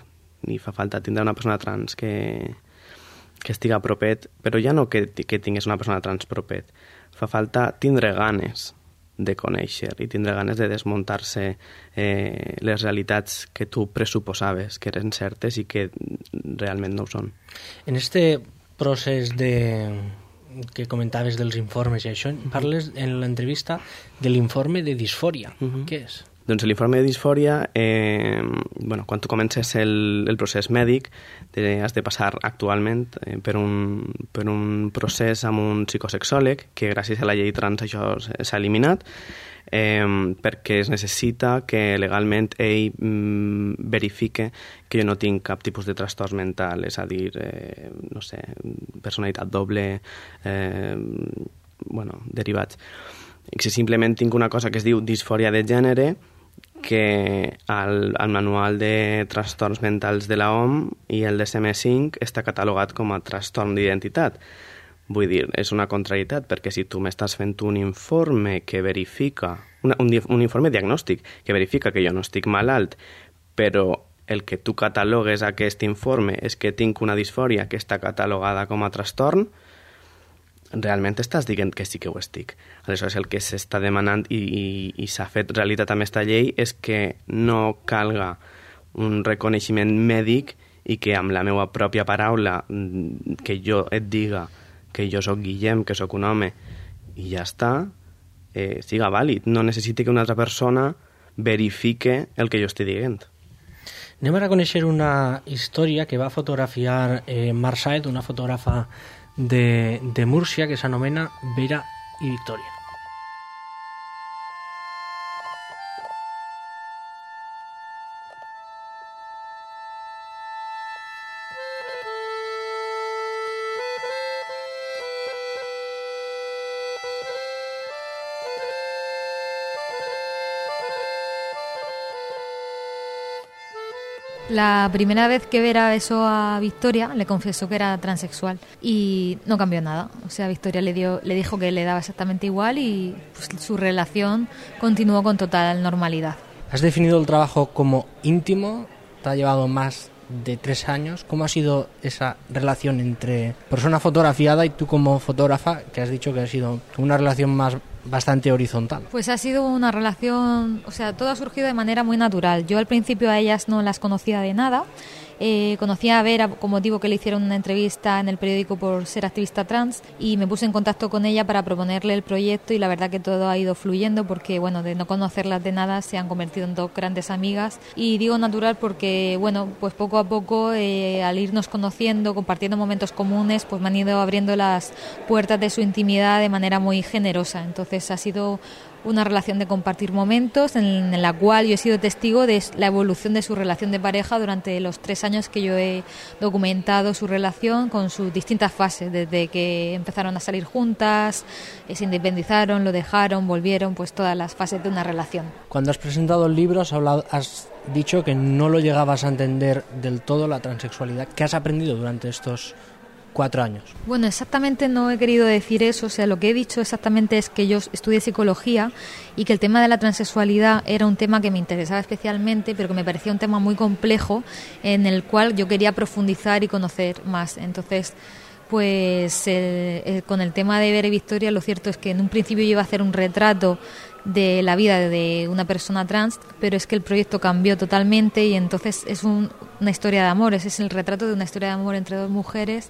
i fa falta tindre una persona trans que, que estiga propet, però ja no que, que tingués una persona trans propet, fa falta tindre ganes de conèixer i tindre ganes de desmuntar-se eh, les realitats que tu pressuposaves que eren certes i que realment no ho són. En este procés de que comentaves dels informes i això, parles en l'entrevista de l'informe de disfòria. Uh-huh. Què és? Doncs l'informe de disfòria, eh, bueno, quan tu comences el, el procés mèdic, te, has de passar actualment eh, per, un, per un procés amb un psicosexòleg, que gràcies a la llei trans això s'ha eliminat, eh, perquè es necessita que legalment ell mm, verifique que jo no tinc cap tipus de trastorn mental, és a dir, eh, no sé, personalitat doble, eh, bueno, derivats. I si simplement tinc una cosa que es diu disfòria de gènere, que al, al manual de trastorns mentals de la O M i el D S M cinc està catalogat com a trastorn d'identitat. Vull dir, és una contrarietat, perquè si tu m'estàs fent un informe que verifica, una, un, un informe diagnòstic que verifica que jo no estic malalt, però el que tu catalogues aquest informe és que tinc una disfòria que està catalogada com a trastorn, realment estàs dient que sí que ho estic. Aleshores, el que s'està demanant i, i, i s'ha fet realitat amb aquesta llei és que no calga un reconeixement mèdic i que amb la meva pròpia paraula que jo et diga que jo sóc Guillem, que sóc un home, i ja està, eh, siga vàlid. No necessiti que una altra persona verifique el que jo estic dient. Anem a conèixer una història que va fotografiar eh, Mar Saed, una fotògrafa de, de Múrcia, que s'anomena Vera i Victòria. La primera vez que Vera besó a Victoria, le confesó que era transexual y no cambió nada. O sea, Victoria le dio, le dijo que le daba exactamente igual y pues, su relación continuó con total normalidad. ¿Has definido el trabajo como íntimo? ¿Te ha llevado más de tres años. ¿Cómo ha sido esa relación entre persona fotografiada y tú como fotógrafa, que has dicho que ha sido una relación más bastante horizontal? Pues ha sido una relación, o sea, todo ha surgido de manera muy natural. Yo al principio a ellas no las conocía de nada. Eh, conocí a Vera con motivo que le hicieron una entrevista en el periódico por ser activista trans y me puse en contacto con ella para proponerle el proyecto y la verdad que todo ha ido fluyendo porque, bueno, de no conocerlas de nada se han convertido en dos grandes amigas y digo natural porque, bueno, pues poco a poco eh, al irnos conociendo, compartiendo momentos comunes, pues me han ido abriendo las puertas de su intimidad de manera muy generosa. Entonces ha sido una relación de compartir momentos en la cual yo he sido testigo de la evolución de su relación de pareja durante los tres años que yo he documentado su relación con sus distintas fases, desde que empezaron a salir juntas, se independizaron, lo dejaron, volvieron, pues todas las fases de una relación. Cuando has presentado el libro has hablado, has dicho que no lo llegabas a entender del todo, la transexualidad. ¿Qué has aprendido durante estos cuatro años? Bueno, exactamente no he querido decir eso, o sea, lo que he dicho exactamente es que yo estudié psicología y que el tema de la transexualidad era un tema que me interesaba especialmente, pero que me parecía un tema muy complejo en el cual yo quería profundizar y conocer más. Entonces, pues eh, eh, con el tema de Vera y Victoria, lo cierto es que en un principio yo iba a hacer un retrato de la vida de una persona trans, pero es que el proyecto cambió totalmente y entonces es un, una historia de amor, ese es el retrato de una historia de amor entre dos mujeres.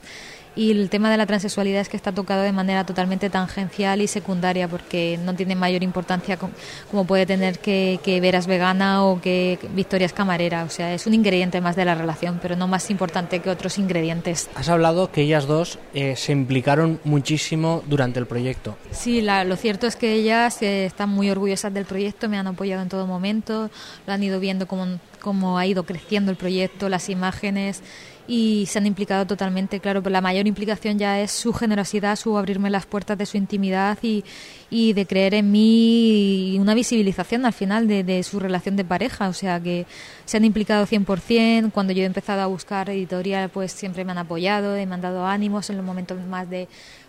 Y el tema de la transexualidad es que está tocado de manera totalmente tangencial y secundaria porque no tiene mayor importancia como puede tener que, que Vera es vegana o que Victoria es camarera. O sea, es un ingrediente más de la relación, pero no más importante que otros ingredientes. Has hablado que ellas dos eh, se implicaron muchísimo durante el proyecto. Sí, la, lo cierto es que ellas eh, están muy orgullosas del proyecto, me han apoyado en todo momento, lo han ido viendo cómo, cómo ha ido creciendo el proyecto, las imágenes, y se han implicado totalmente, claro, pero la mayor implicación ya es su generosidad, su abrirme las puertas de su intimidad y, y de creer en mí y una visibilización al final de, de su relación de pareja, o sea que se han implicado cien por ciento. Cuando yo he empezado a buscar editorial, pues siempre me han apoyado, me han dado ánimos en los momentos más de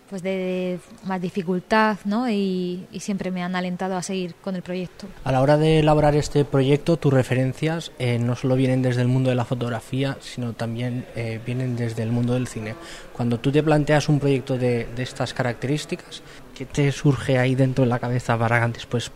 pues de, de más dificultad, ¿no? Y, y siempre me han alentado a seguir con el proyecto. A la hora de elaborar este proyecto, tus referencias eh, no solo vienen desde el mundo de la fotografía, sino también eh, vienen desde el mundo del cine. Cuando tú te planteas un proyecto de, de estas características, ¿qué te surge ahí dentro de la cabeza para después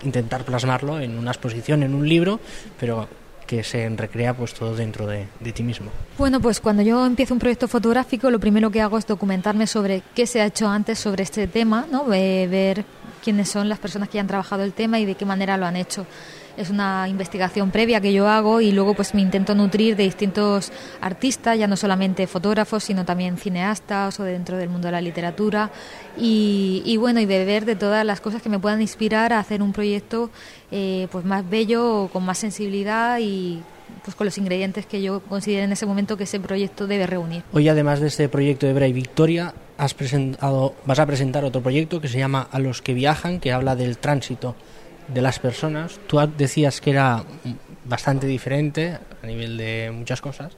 intentar plasmarlo en una exposición, en un libro, pero que se recrea pues todo dentro de, de ti mismo? Bueno, pues cuando yo empiezo un proyecto fotográfico, lo primero que hago es documentarme sobre qué se ha hecho antes sobre este tema, ¿no? Eh, ver quiénes son las personas que ya han trabajado el tema y de qué manera lo han hecho. Es una investigación previa que yo hago y luego pues me intento nutrir de distintos artistas, ya no solamente fotógrafos, sino también cineastas o dentro del mundo de la literatura y, y bueno, y beber de todas las cosas que me puedan inspirar a hacer un proyecto eh, pues más bello, con más sensibilidad y pues con los ingredientes que yo considero en ese momento que ese proyecto debe reunir. Hoy, además de este proyecto de Vera y Victoria, has presentado, vas a presentar otro proyecto que se llama A los que viajan, que habla del tránsito de las personas. Tú decías que era bastante diferente a nivel de muchas cosas,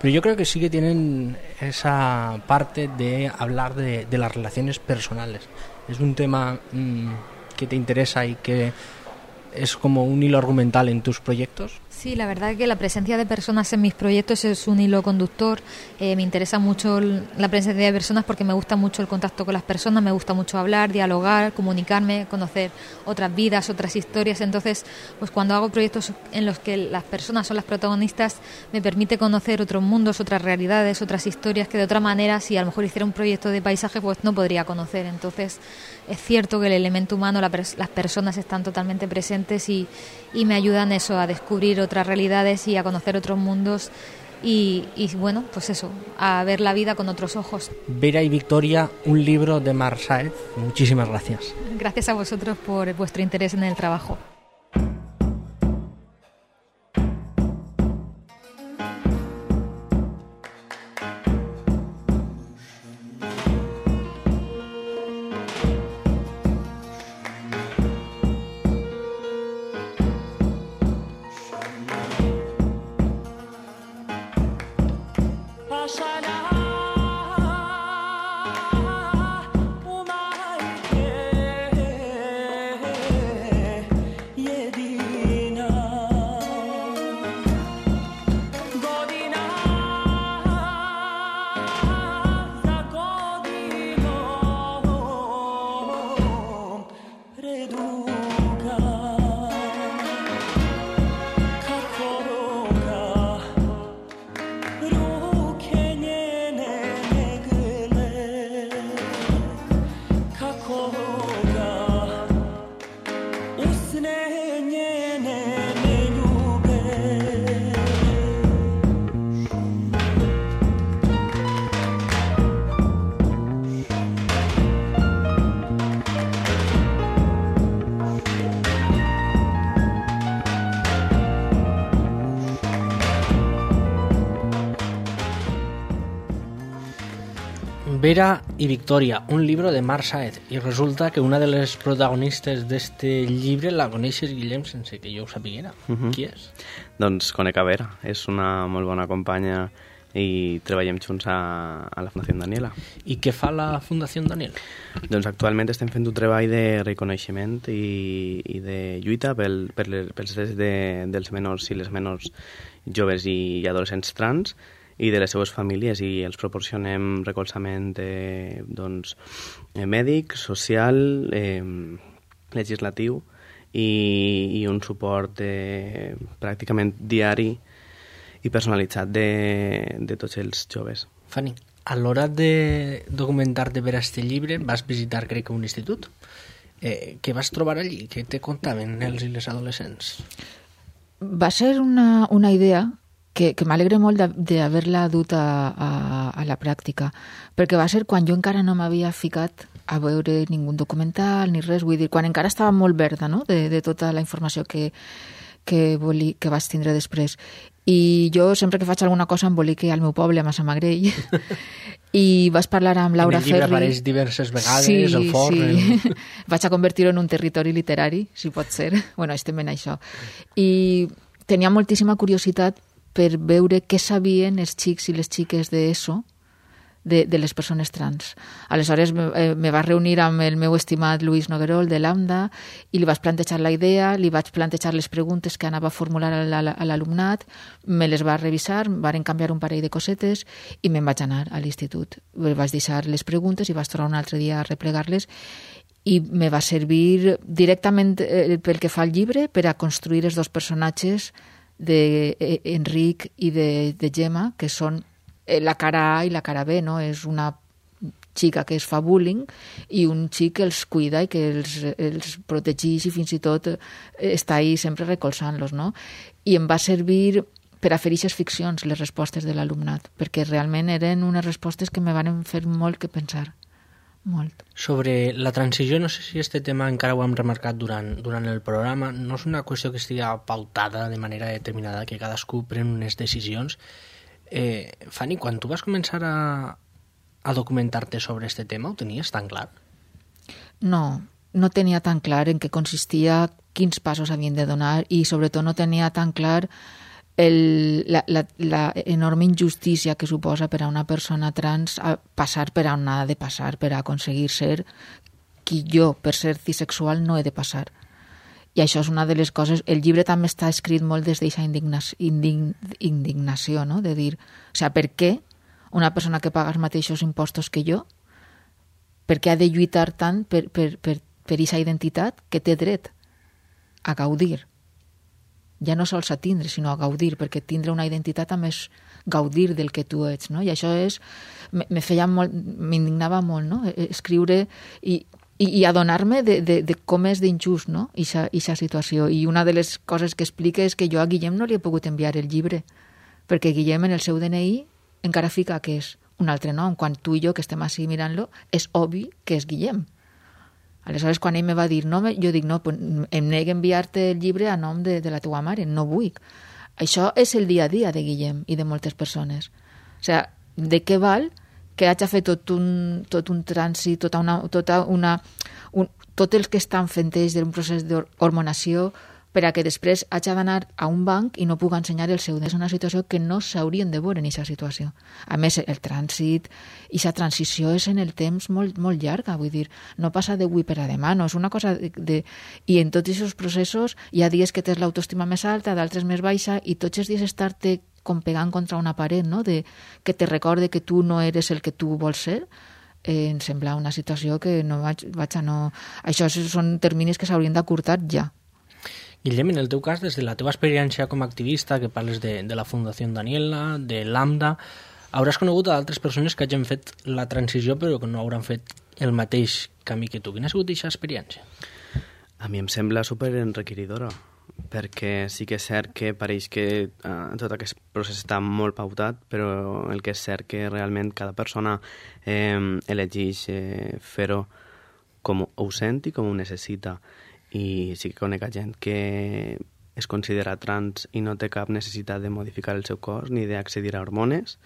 pero yo creo que sí que tienen esa parte de hablar de, de las relaciones personales. Es un tema mmm, que te interesa y que es como un hilo argumental en tus proyectos. Sí, la verdad es que la presencia de personas en mis proyectos es un hilo conductor. Eh, me interesa mucho la presencia de personas porque me gusta mucho el contacto con las personas, me gusta mucho hablar, dialogar, comunicarme, conocer otras vidas, otras historias. Entonces, pues cuando hago proyectos en los que las personas son las protagonistas, me permite conocer otros mundos, otras realidades, otras historias que de otra manera, si a lo mejor hiciera un proyecto de paisaje, pues no podría conocer. Entonces, es cierto que el elemento humano, la pers- las personas están totalmente presentes y, y me ayudan eso a descubrir otras realidades y a conocer otros mundos y, y bueno, pues eso, a ver la vida con otros ojos. Vera y Victoria, un libro de Mar Sáez. Muchísimas gracias. Gracias a vosotros por vuestro interés en el trabajo. Vera y Victoria, un libro de Marc Saez, i resulta que una de les protagonistes d'este llibre la coneixes, Guillem, sense que jo ho sapiguera. Uh-huh. Qui és? Doncs conec a Vera, és una molt bona companya i treballem junts a, a la Fundació Daniela. I què fa la Fundació Daniela? Doncs actualment estem fent un treball de reconeixement i, i de lluita pel, per les, pels drets de, dels menors i les menors joves i adolescents trans i de les seues famílies, i els proporcionem recolzament eh, doncs, eh, mèdic, social, eh, legislatiu i, i un suport eh, pràcticament diari i personalitzat de, de tots els joves. Fanny, a l'hora de documentar-te per a este llibre vas visitar, crec que, un institut. Eh, què vas trobar allí? Què te contaven els i les adolescents? Va ser una, una idea que, que m'alegre molt d'haver-la dut a, a, a la pràctica, perquè va ser quan jo encara no m'havia ficat a veure ningú documental ni res, vull dir, quan encara estava molt verda, no?, de, de tota la informació que, que, voli, que vaig tindre després. I jo sempre que faig alguna cosa embolique al meu poble, a Massamagrell, i vaig parlar amb Laura Ferri. En el llibre apareix diverses vegades, sí, el forn... Sí. El... Vaig a convertir-ho en un territori literari, si pot ser. Bueno, estem en això. I tenia moltíssima curiositat per veure què sabien els xics i les xiques d'ESO de, de les persones trans. Aleshores me, eh, me va reunir amb el meu estimat Luis Noguerol de Lambda i li vaig plantejar la idea, li vaig plantejar les preguntes que anava a formular a l'alumnat, me les va revisar, varen canviar un parell de cosetes i me'n vaig anar a l'institut. Vaig deixar les preguntes i vaig tornar un altre dia a replegar-les i me va servir directament eh, pel que fa al llibre per a construir els dos personatges d'Enric i de, de Gemma, que són la cara A i la cara B, no? És una xica que es fa bullying i un xic que els cuida i que els, els protegeix i fins i tot està ahí sempre recolzant-los, no? I em va servir per a fer aquestes ficcions, les respostes de l'alumnat, perquè realment eren unes respostes que me van fer molt que pensar. Molt. Sobre la transició, no sé si este tema encara ho hem remarcat durant, durant el programa, no és una qüestió que estigui pautada de manera determinada, que cadascú pren unes decisions. Eh, Fanny, quan tu vas començar a, a documentar-te sobre este tema, ho tenies tan clar? No, no tenia tan clar en què consistia, quins passos havien de donar i sobretot no tenia tan clar el, la, la, la enorme injustícia que suposa per a una persona trans a passar per on ha de passar per a aconseguir ser qui jo, per ser cisexual, no he de passar. I això és una de les coses... El llibre també està escrit molt des d'aquesta indignació, indign, indignació, no?, de dir, o sigui, per què una persona que paga els mateixos impostos que jo, per què ha de lluitar tant per per, per, per aquesta identitat que té dret a gaudir? Ja no sols a tindre, sinó a gaudir, perquè tindre una identitat també és gaudir del que tu ets, no? I això és... Me, me feia molt... M'indignava molt, no?, escriure i... I, i adonar-me de, de, de com és d'injust, no?, aquesta situació. I una de les coses que explica és que jo a Guillem no li he pogut enviar el llibre, perquè Guillem en el seu D N I encara fica que és un altre nom. Quan tu i jo, que estem així mirant-lo, és obvi que és Guillem. Aleshores, quan ell me va dir no, jo dic, no, pues, em nego a enviar-te el llibre a nom de, de la teua mare, no vull. Això és el dia a dia de Guillem i de moltes persones. O sigui, de què val que hagi fet tot un, tot un trànsit, tota una, tota una, un, tot el que estan fent ells d'un procés d'hormonació per a que després hagi d'anar a un banc i no pugui ensenyar el seu. És una situació que no s'haurien de veure en aquesta situació. A més, el trànsit i la transició és en el temps molt, molt llarga, vull dir, no passa d'avui per a demà, no és una cosa de, de... I en tots aquests processos hi ha dies que tens l'autoestima més alta, d'altres més baixa, i tots els dies estar-te com pegant contra una paret, no?, de, que te recorde que tu no eres el que tu vols ser, eh, em sembla una situació que no vaig, vaig a no... Això són terminis que s'haurien d'acurtar ja. Guillem, en el teu cas, des de la teva experiència com a activista, que parles de, de la Fundació Daniela, de Lambda, hauràs conegut a altres persones que hagin fet la transició però que no hauran fet el mateix camí que tu. Quina ha sigut aquesta experiència? A mi em sembla super enriquidora, perquè sí que és cert que pareix que eh, tot aquest procés està molt pautat, però el que és cert que realment cada persona eh, elegeix eh, fer-ho com ho sent i com ho necessita. I sí que conec gent que es considera trans i no té cap necessitat de modificar el seu cos ni d'accedir a hormones,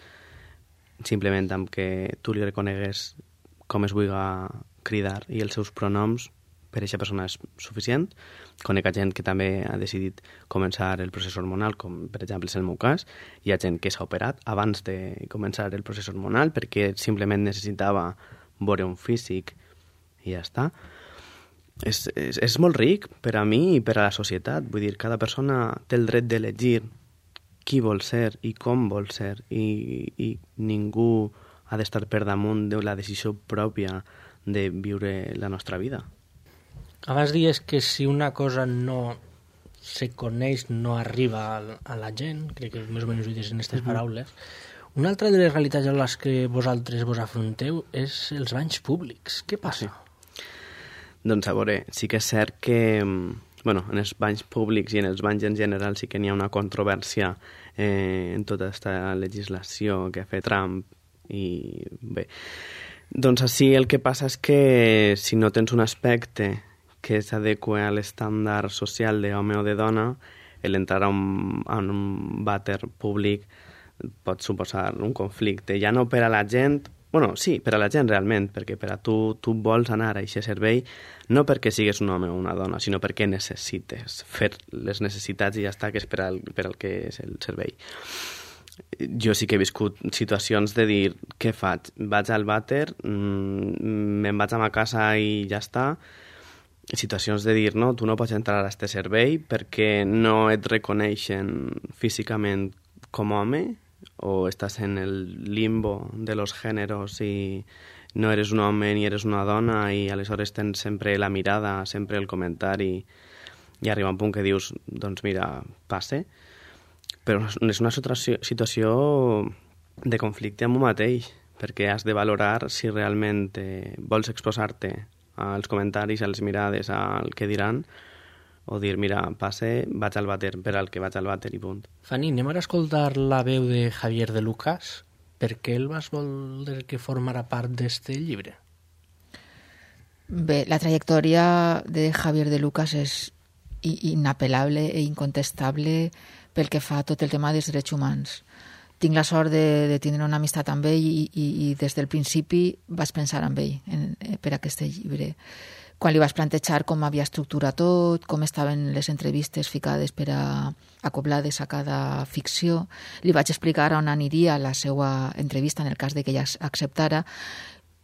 simplement amb que tu li reconegues com es vulga cridar i els seus pronoms, per a aquesta persona és suficient. Conec a gent que també ha decidit començar el procés hormonal, com per exemple és el meu cas. Hi ha gent que s'ha operat abans de començar el procés hormonal perquè simplement necessitava veure un físic i ja està. És, és, és molt ric per a mi i per a la societat. Vull dir, cada persona té el dret d'elegir qui vol ser i com vol ser i, i ningú ha d'estar per damunt de la decisió pròpia de viure la nostra vida. Abans dies que si una cosa no se coneix no arriba a la gent, crec que més o menys ho dius en aquestes paraules. Una altra de les realitats a les que vosaltres vos afronteu és els banys públics. Què passa? Sí. Doncs a veure, sí que és cert que bueno, en els banys públics i en els banys en general sí que n'hi ha una controvèrsia eh, en tota aquesta legislació que ha fet Trump i bé, doncs així el que passa és que si no tens un aspecte que s'adequa a l'estàndard social d'home o de dona, l'entrar a un, a un vàter públic pot suposar un conflicte, ja no per a la gent, bueno, sí, per a la gent realment, perquè per a tu, tu vols anar a aquest servei no perquè sigues un home o una dona, sinó perquè necessites fer les necessitats i ja està, que és per al, per al que és el servei. Jo sí que he viscut situacions de dir, què faig? Vaig al vàter, me'n vaig a ma casa i ja està. Situacions de dir, no, tu no pots entrar a este servei perquè no et reconeixen físicament com home o estàs en el limbo de los géneros i no eres un home ni eres una dona i aleshores tens sempre la mirada, sempre el comentari i arriba un punt que dius, doncs mira, passe. Però és una situació de conflicte amb un mateix, perquè has de valorar si realment eh, vols exposar-te als comentaris, a les mirades, al que diran, o dir, mira, passe, vaig al vàter per al que vaig al vàter i punt. Fanny, anem ara a escoltar la veu de Javier de Lucas. Per què el vas voler que formara part d'este llibre? Bé, la trajectòria de Javier de Lucas és inapel·lable i incontestable pel que fa a tot el tema dels drets humans. Tinc la sort de, de tindre una amistat amb ell i, i, i des del principi vaig pensar en ell en, per aquest llibre. Quan li vaig plantejar com havia estructurat tot, com estaven les entrevistes ficades per a acoblades a cada ficció, li vaig explicar on aniria la seva entrevista en el cas de que ella acceptara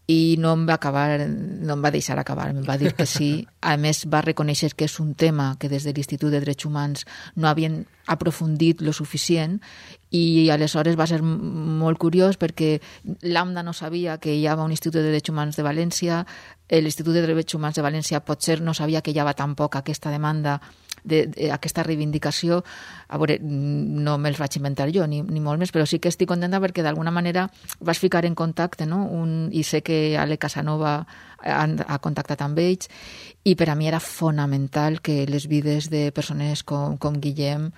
i no em va acabar, no em va deixar acabar, em va dir que sí. A més, va reconèixer que és un tema que des de l'Institut de Drets Humans no havien aprofundit lo suficient i aleshores va ser molt curiós perquè l'AMDA no sabia que hi havia un Institut de Drets Humans de València, l'Institut de Drets Humans de València potser no sabia que hi havia tampoc aquesta demanda de, de, aquesta reivindicació. A veure, no me'ls vaig inventar jo, ni, ni molt més, però sí que estic contenta perquè d'alguna manera vas ficar en contacte, no? Un, i sé que Ale Casanova ha, ha contactat amb ells, i per a mi era fonamental que les vides de persones com, com Guillem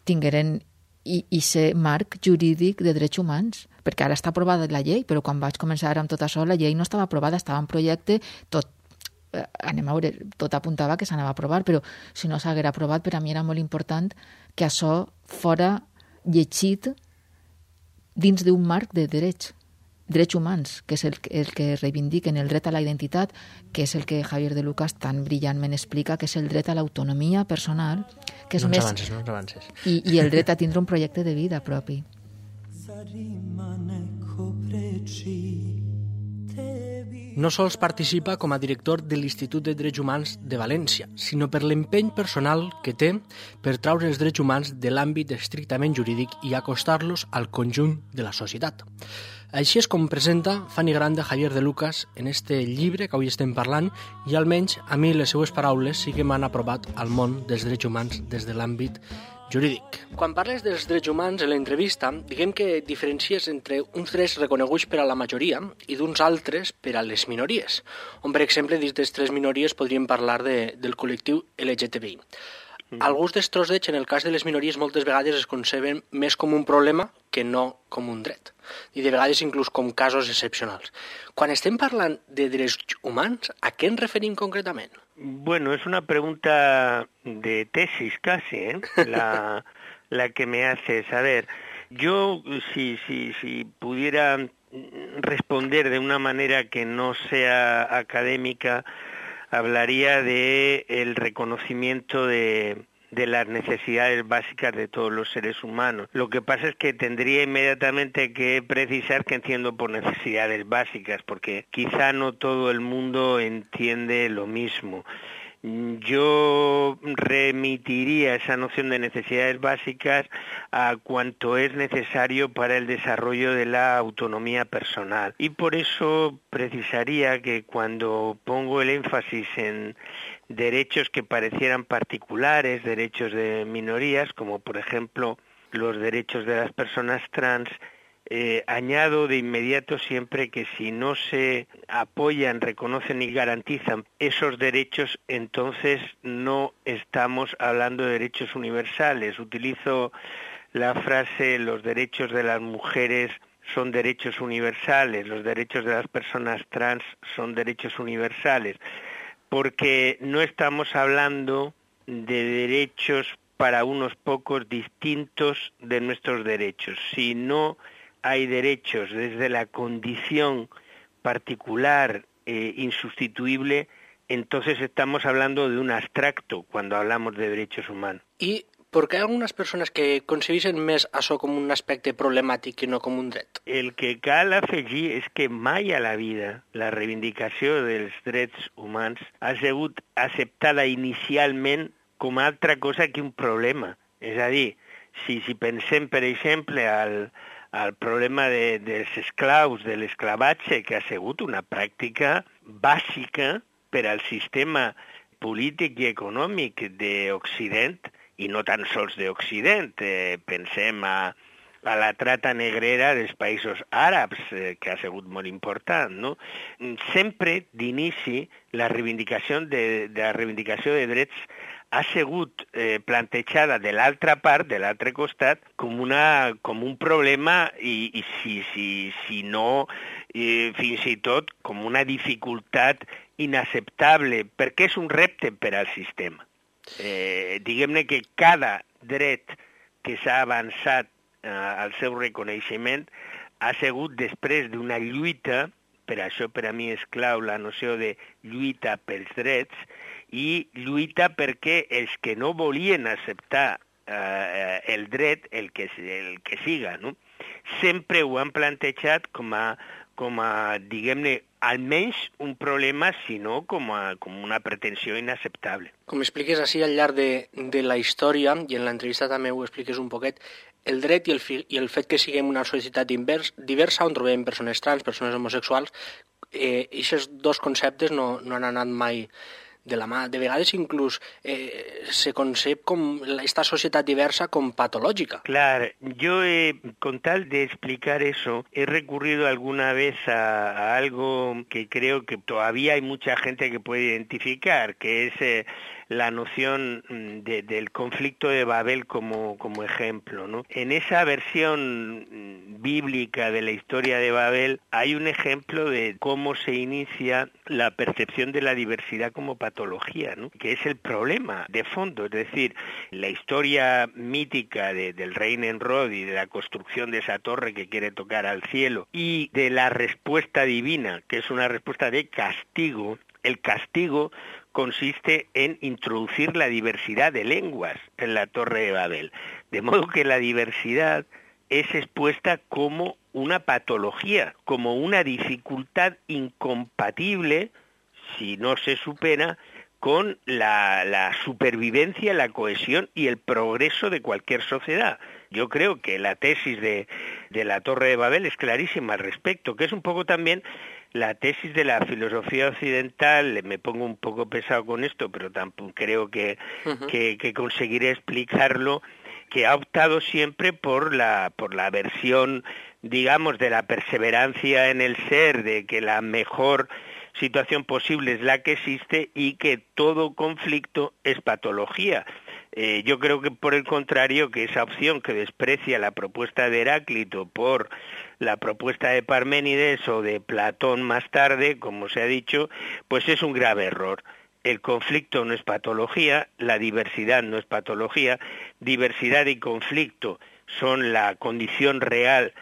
tingueren i, i ser marc jurídic de drets humans, perquè ara està aprovada la llei, però quan vaig començar amb tot això, la llei no estava aprovada, estava en projecte, tot anem a veure, tot apuntava que s'anava a aprovar, però si no s'haguera aprovat, per a mi era molt important que això fora llegit dins d'un marc de drets, drets humans, que és el, el que reivindiquen el dret a la identitat, que és el que Javier de Lucas tan brillantment explica, que és el dret a l'autonomia personal, que és no més... avances, no avances. I, i el dret a tindre un projecte de vida propi. No sols participa com a director de l'Institut de Drets Humans de València, sinó per l'empeny personal que té per traure els drets humans de l'àmbit estrictament jurídic i acostar-los al conjunt de la societat. Així és com presenta Fanny Grande Javier de Lucas en este llibre que avui estem parlant i almenys a mi les seues paraules sí que m'han aprovat al món dels drets humans des de l'àmbit jurídic. Quan parles dels drets humans en l'entrevista, diguem que diferencies entre uns drets reconeguts per a la majoria i d'uns altres per a les minories, on, per exemple, dins de tres minories podríem parlar de, del col·lectiu L G T B I. Mm. Alguns dels drets, en el cas de les minories, moltes vegades es conceben més com un problema que no com un dret, i de vegades inclús com casos excepcionals. Quan estem parlant de drets humans, a què ens referim concretament? Bueno, es una pregunta de tesis casi, ¿eh? La, la que me haces. A ver, yo si, si, si pudiera responder de una manera que no sea académica, hablaría de el reconocimiento de, de las necesidades básicas de todos los seres humanos. Lo que pasa es que tendría inmediatamente que precisar qué entiendo por necesidades básicas, porque quizá no todo el mundo entiende lo mismo. Yo remitiría esa noción de necesidades básicas a cuanto es necesario para el desarrollo de la autonomía personal. Y por eso precisaría que cuando pongo el énfasis en derechos que parecieran particulares, derechos de minorías, como por ejemplo los derechos de las personas trans, Eh, añado de inmediato siempre que si no se apoyan, reconocen y garantizan esos derechos, entonces no estamos hablando de derechos universales. Utilizo la frase: los derechos de las mujeres son derechos universales, los derechos de las personas trans son derechos universales, porque no estamos hablando de derechos para unos pocos distintos de nuestros derechos, sino hay derechos desde la condición particular e insustituible, entonces estamos hablando de un abstracto cuando hablamos de derechos humanos. I per què hi ha algunes persones que concebeixen més això com un aspecte problemàtic i no com un dret? El que cal afegir és que mai a la vida la reivindicació dels drets humans ha sigut acceptada inicialment com a altra cosa que un problema. És a dir, si, si pensem, per exemple, al al problema de, dels esclaus, de l'esclavatge, que ha sigut una pràctica bàsica per al sistema polític i econòmic d'Occident, i no tan sols d'Occident. Eh, pensem a, a la trata negrera dels països àrabs, eh, que ha sigut molt important, no? Sempre, d'inici, la reivindicació de, de la reivindicació de drets ha sigut eh, plantejada de l'altra part, de l'altre costat, com, una, com un problema i, i si, si, si no, eh, fins i tot com una dificultat inacceptable, perquè és un repte per al sistema. Eh, diguem-ne que cada dret que s'ha avançat eh, al seu reconeixement ha sigut després d'una lluita, per això per a mi és clau la noció de lluita pels drets, i lluita perquè els que no volien acceptar eh, el dret, el que, el que siga, no? Sempre ho han plantejat com a, com a diguem-ne, almenys un problema, sinó com, a, com una pretensió inacceptable. Com expliques així al llarg de, de la història, i en l'entrevista també ho expliques un poquet, el dret i el, fi, i el fet que siguem una societat invers, diversa, on trobem persones trans, persones homosexuals, eh, aquests dos conceptes no, no han anat mai de la mà. De vegades inclús eh, se concep com esta societat diversa com patológica. Claro, yo eh, con tal de explicar eso he recurrido alguna vez a, a algo que creo que todavía hay mucha gente que puede identificar, que es eh, la noción de, del conflicto de Babel como, como ejemplo, ¿no? En esa versión bíblica de la historia de Babel hay un ejemplo de cómo se inicia la percepción de la diversidad como patología, ¿no? Que es el problema de fondo, es decir, la historia mítica de, del rey Nemrod y de la construcción de esa torre que quiere tocar al cielo y de la respuesta divina, que es una respuesta de castigo. El castigo consiste en introducir la diversidad de lenguas en la Torre de Babel, de modo que la diversidad es expuesta como una patología, como una dificultad incompatible, si no se supera, con la, la supervivencia, la cohesión y el progreso de cualquier sociedad. Yo creo que la tesis de, de la Torre de Babel es clarísima al respecto, que es un poco también la tesis de la filosofía occidental. Me pongo un poco pesado con esto, pero tampoco creo que, uh-huh. que, que conseguiré explicarlo, que ha optado siempre por la, por la versión, digamos, de la perseverancia en el ser, de que la mejor situación posible es la que existe y que todo conflicto es patología. Eh, yo creo que por el contrario, que esa opción que desprecia la propuesta de Heráclito por la propuesta de Parménides o de Platón más tarde, como se ha dicho, pues es un grave error. El conflicto no es patología, la diversidad no es patología, diversidad y conflicto son la condición real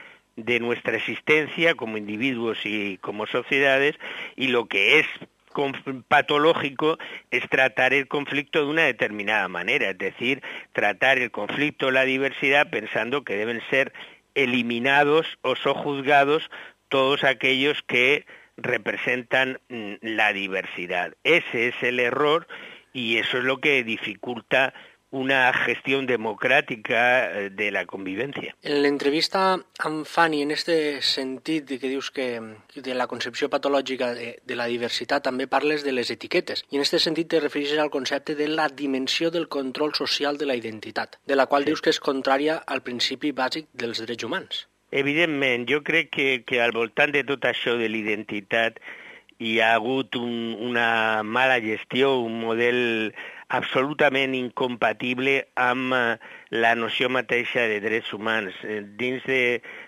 de nuestra existencia como individuos y como sociedades, y lo que es patológico es tratar el conflicto de una determinada manera, es decir, tratar el conflicto, la diversidad, pensando que deben ser eliminados o sojuzgados todos aquellos que representan la diversidad. Ese es el error y eso es lo que dificulta una gestión democràtica de la convivència. En l'entrevista amb Fanny, en este sentit de que dius que de la concepció patològica de, de la diversitat, també parles de les etiquetes. I en este sentit te refereixes al concepte de la dimensió del control social de la identitat, de la qual sí. dius que és contrària al principi bàsic dels drets humans. Evidentment, jo crec que, que al voltant de tot això de l'identitat hi ha hagut un, una mala gestió, un model absolutament incompatible amb la noció mateixa de drets humans. Dins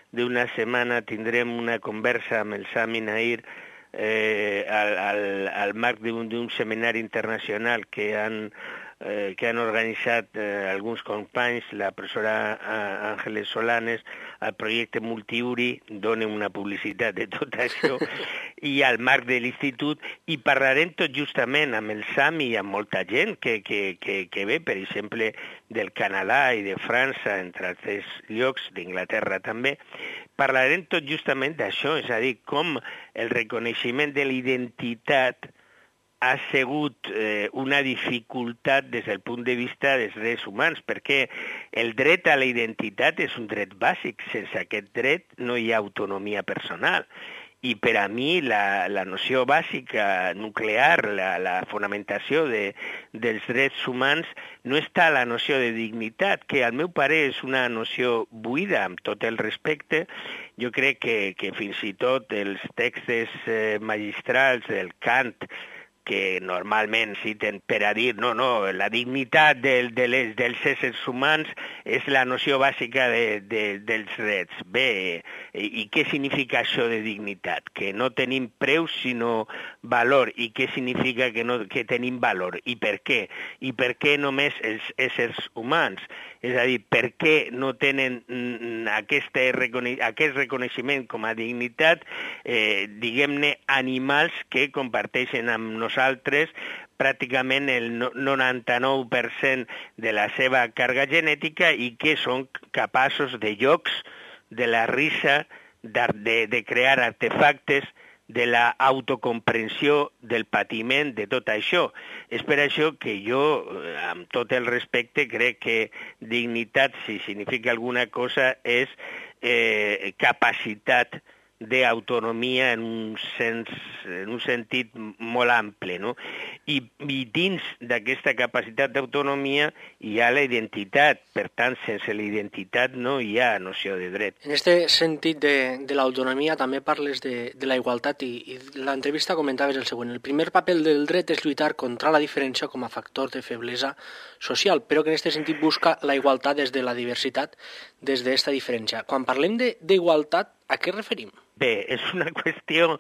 d'una setmana tindrem una conversa amb el Sami Nair eh, al, al, al marc d'un seminari internacional que han, eh, que han organitzat eh, alguns companys, la professora Àngeles Solanes, el projecte Multiuri, dona una publicitat de tot això, i al marc de l'institut, i parlarem tot justament amb el Sami i amb molta gent que, que, que, que ve, per exemple, del Canadà i de França, entre altres llocs, d'Inglaterra també, parlarem tot justament d'això, és a dir, com el reconeixement de l'identitat ha sigut eh, una dificultat des del punt de vista dels drets humans, perquè el dret a la identitat és un dret bàsic. Sense aquest dret no hi ha autonomia personal. I per a mi la, la noció bàsica, nuclear, la, la fonamentació de, dels drets humans no està a la noció de dignitat, que al meu parer és una noció buida, amb tot el respecte. Jo crec que, que fins i tot els textos eh, magistrals del Kant, que normalment citen per a dir no, no, la dignitat de, de les, dels éssers humans és la noció bàsica de, de, dels drets. Bé, i, i què significa això de dignitat? Que no tenim preu sinó valor. I què significa que, no, que tenim valor? I per què? I per què només els éssers humans? És a dir, per què no tenen aquest, recone aquest reconeixement com a dignitat, eh, diguem-ne, animals que comparteixen amb nosaltres pràcticament el noranta-nou per cent de la seva càrrega genètica i que són capaços de jocs, de la risa, de, de crear artefactes, de la autocomprensió, del patiment, de tot això. És per això que jo, amb tot el respecte, crec que dignitat, si significa alguna cosa, és eh, capacitat d'autonomia en un sens, en un sentit molt ample, no? I, i dins d'aquesta capacitat d'autonomia hi ha la identitat, per tant, sense la identitat no hi ha noció de dret. En aquest sentit de, de l'autonomia també parles de, de la igualtat i, i l'entrevista comentaves el següent. El primer paper del dret és lluitar contra la diferència com a factor de feblesa social, però que en aquest sentit busca la igualtat des de la diversitat, des d'esta diferència. Quan parlem d'igualtat, a què referim? Bé, és una qüestió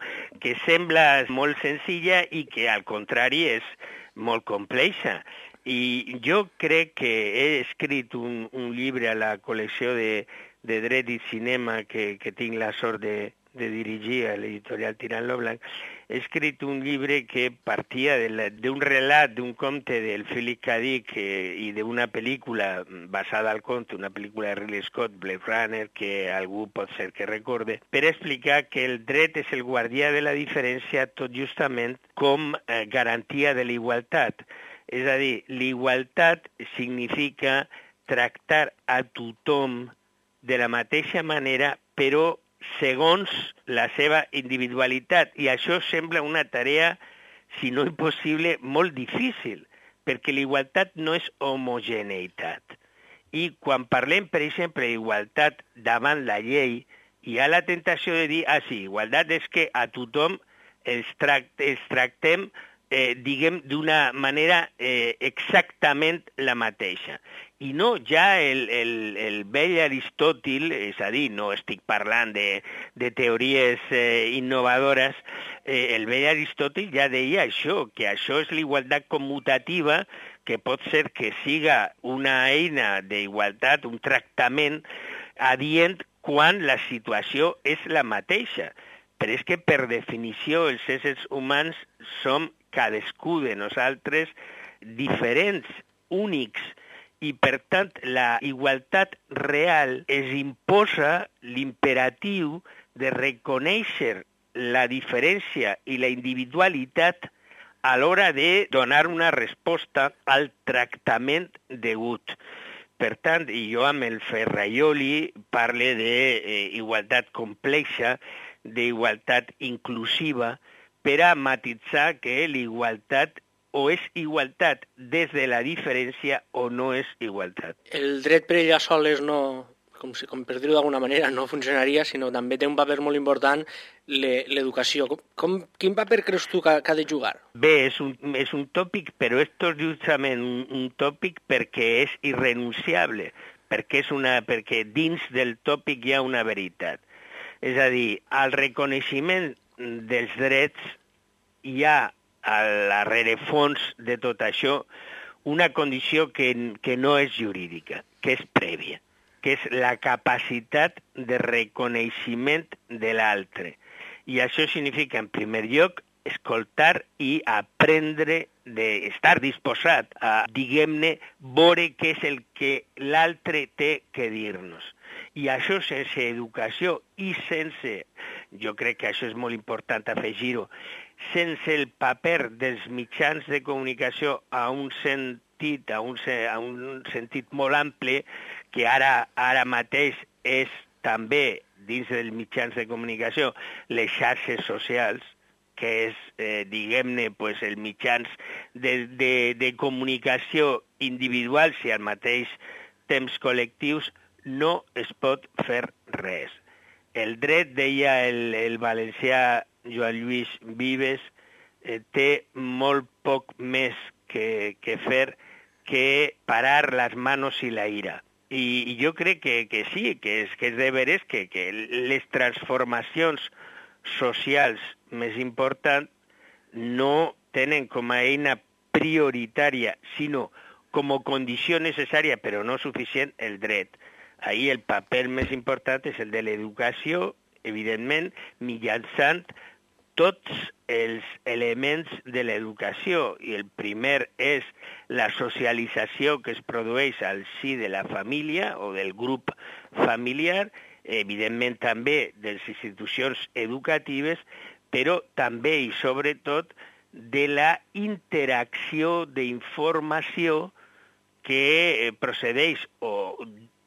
que sembla molt senzilla i que al contrari és molt complexa. I jo crec que he escrit un, un llibre a la col·lecció de, de dret i cinema que, que tinc la sort de, de dirigir a l'editorial Tirant lo Blanc. He escrit un llibre que partia d'un relat, d'un conte del Philip K. Dick eh, i d'una pel·lícula basada al conte, una pel·lícula de Ridley Scott, Blade Runner, que algú pot ser que recorde, per explicar que el dret és el guardià de la diferència tot justament com eh, garantia de la igualtat. És a dir, l'igualtat significa tractar a tothom de la mateixa manera, però segons la seva individualitat. I això sembla una tarea, si no impossible, molt difícil, perquè l'igualtat no és homogeneïtat. I quan parlem, per exemple, d'igualtat davant la llei, hi ha la tentació de dir, ah, sí, igualtat és que a tothom els, tract els tractem, eh, diguem, d'una manera eh, exactament la mateixa. I no, ja el, el, el vell Aristòtil, és a dir, no estic parlant de, de teories eh, innovadores, eh, el vell Aristòtil ja deia això, que això és l'igualtat commutativa, que pot ser que siga una eina d'igualtat, un tractament adient quan la situació és la mateixa. Però és que, per definició, els éssers humans som cadascú de nosaltres diferents, únics, i, per tant, la igualtat real es imposa l'imperatiu de reconèixer la diferència i la individualitat a l'hora de donar una resposta al tractament degut. Per tant, jo amb el Ferraioli parle d'igualtat complexa, d'igualtat inclusiva, per a matitzar que l'igualtat o és igualtat des de la diferència o no és igualtat. El dret per ella soles no, com, si, com per dir-ho d'alguna manera, no funcionaria, sinó també té un paper molt important l'educació. Com, com, quin paper creus tu que, que ha de jugar? Bé, és un, és un tòpic, però és tot justament un, un tòpic perquè és irrenunciable, perquè, és una, perquè dins del tòpic hi ha una veritat. És a dir, al reconeixement dels drets hi ha a la rerefons de tot això una condició que, que no és jurídica, que és prèvia, que és la capacitat de reconeixement de l'altre. I això significa, en primer lloc, escoltar i aprendre, de estar disposat a, diguem-ne, veure què és el que l'altre té que dir-nos. I això sense educació i sense, jo crec que això és molt important afegir-ho, sense el paper dels mitjans de comunicació a un sentit, a un, a un sentit molt ample, que ara, ara mateix és també, dins dels mitjans de comunicació, les xarxes socials, que és, eh, diguem-ne, pues, els mitjans de, de, de comunicació individuals i al mateix temps col·lectius, no es pot fer res. El dret, deia el, el valencià Joan Lluís Vives, eh, té molt poc més que, que fer que parar les manos i la ira. I, i jo crec que, que sí, que és, que és de veres que, que les transformacions socials més importants no tenen com a eina prioritària, sinó com a condició necessària, però no suficient, el dret. Ahí el paper més important és el de l'educació, evidentment, mitjançant tots els elements de l'educació. I el primer és la socialització que es produeix al si de la família o del grup familiar, evidentment també de les institucions educatives, però també i sobretot de la interacció d'informació que procedeix o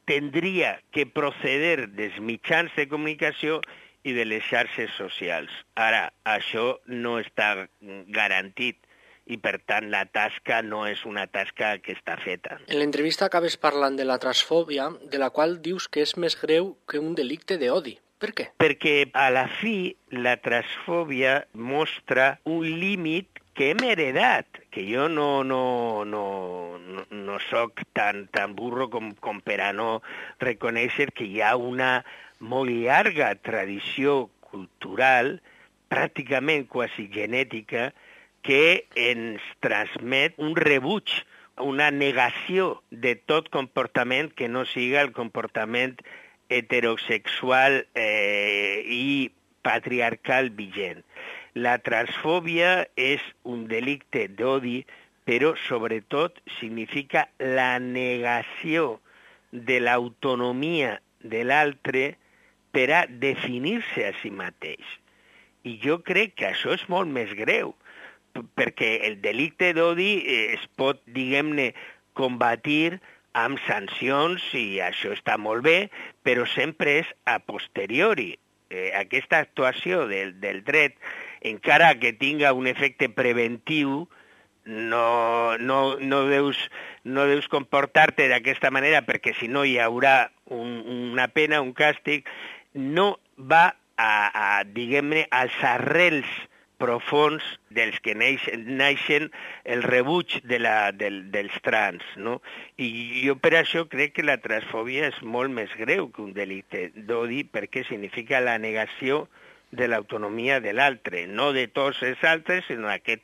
tindria que proceder dels mitjans de comunicació i de les xarxes socials. Ara, això no està garantit i, per tant, la tasca no és una tasca que està feta. En l'entrevista acabes parlant de la transfòbia, de la qual dius que és més greu que un delicte d'odi. Per què? Perquè, a la fi, la transfòbia mostra un límit que hem heredat, que jo no, no, no, no, no soc tan, tan burro com, com per a no reconèixer que hi ha una molt llarga tradició cultural, pràcticament quasi genètica, que ens transmet un rebuig, una negació de tot comportament que no siga el comportament heterosexual eh, i patriarcal vigent. La transfòbia és un delicte d'odi, però sobretot significa la negació de l'autonomia de l'altre per a definir-se a si mateix. I jo crec que això és molt més greu, perquè el delicte d'odi es pot, diguem-ne, combatir amb sancions, i això està molt bé, però sempre és a posteriori. Eh, aquesta actuació del, del dret, encara que tinga un efecte preventiu, no, no, no, deus, no deus comportar-te d'aquesta manera, perquè si no hi haurà un, una pena, un càstig, no va a, a diguem-ne, als arrels profons dels que neixen, naixen el rebuig de la, del, dels trans, no? I jo per això crec que la transfòbia és molt més greu que un delicte d'odi, perquè significa la negació de l'autonomia de l'altre, no de tots els altres, sinó aquest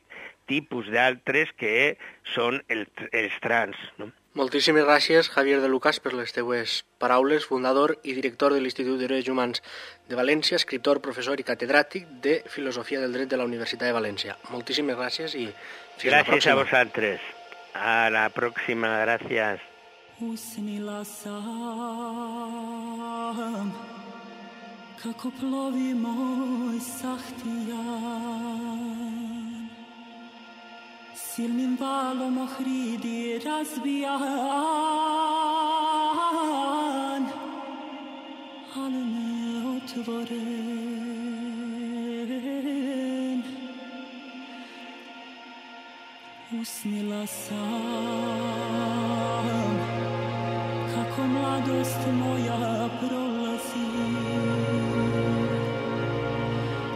tipus d'altres que són el, els trans, no? Moltíssimes gràcies, Javier de Lucas, per les teues paraules, fundador i director de l'Institut de Drets Humans de València, escriptor, professor i catedràtic de Filosofia del Dret de la Universitat de València. Moltíssimes gràcies i fins la pròxima. Gràcies a vosaltres. A la pròxima, gràcies. Usnila sam kako plovi moj sahtijan, silnim valom ohridi razbijan, ali neotvoren. Usnila sam kako mladost moja prolazi,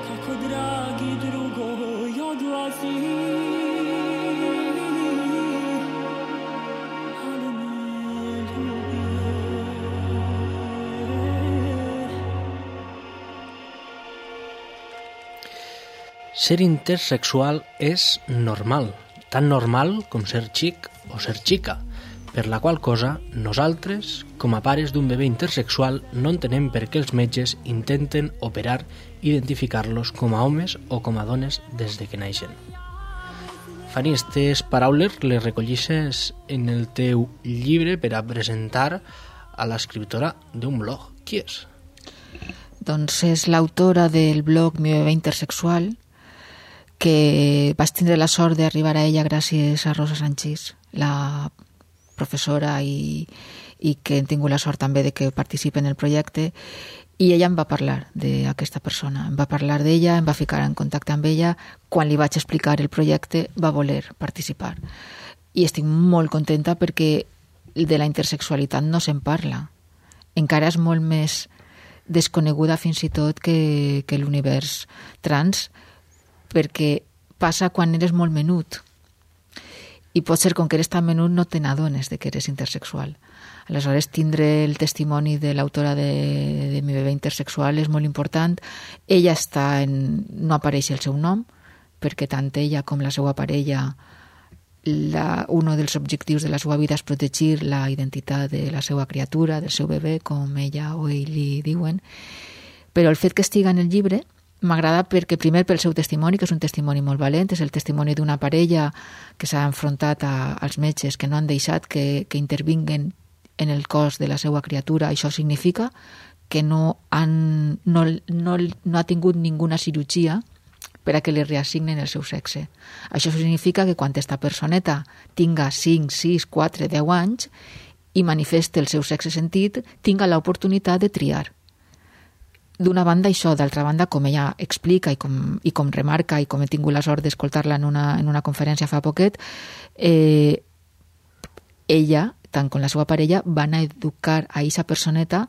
kako dragi drugoj odlazi, ali ne ljubi. Ser intersexual és normal, tan normal com ser xic o ser xica, per la qual cosa nosaltres, com a pares d'un bebè intersexual, no entenem per què els metges intenten operar i identificar-los com a homes o com a dones des de que naixen. Fanny, aquestes paraules les recollisses en el teu llibre per a presentar a l'escriptora d'un blog. Qui és? Doncs és l'autora del blog Mi bebè intersexual, que vaig tindre la sort d'arribar a ella gràcies a Rosa Sanchís, la professora i, i que hem tingut la sort també de que participi en el projecte, i ella em va parlar d'aquesta persona, em va parlar d'ella, em va ficar en contacte amb ella. Quan li vaig explicar el projecte va voler participar i estic molt contenta perquè de la intersexualitat no se'n parla, encara és molt més desconeguda fins i tot que, que l'univers trans, perquè passa quan eres molt menut. I pot ser, com que eres tan menut, no te n'adones de que eres intersexual. Aleshores, tindre el testimoni de l'autora de, de Mi bebè intersexual és molt important. Ella està en... no apareix el seu nom, perquè tant ella com la seva parella, la, un dels objectius de la seva vida és protegir la identitat de la seva criatura, del seu bebè, com ella o ell li diuen. Però el fet que estiga en el llibre m'agrada perquè, primer, pel seu testimoni, que és un testimoni molt valent, és el testimoni d'una parella que s'ha enfrontat a, als metges que no han deixat que, que intervinguen en el cos de la seva criatura. Això significa que no, han, no, no, no ha tingut ninguna cirurgia per a que li reassignen el seu sexe. Això significa que quan aquesta personeta tinga cinc, sis, quatre, deu anys i manifeste el seu sexe sentit, tinga l'oportunitat de triar. D'una banda això, d'altra banda, com ella explica i com, i com remarca i com he tingut la sort d'escoltar-la en una, en una conferència fa poquet, eh, ella, tant com la seva parella, van a educar a aquesta personeta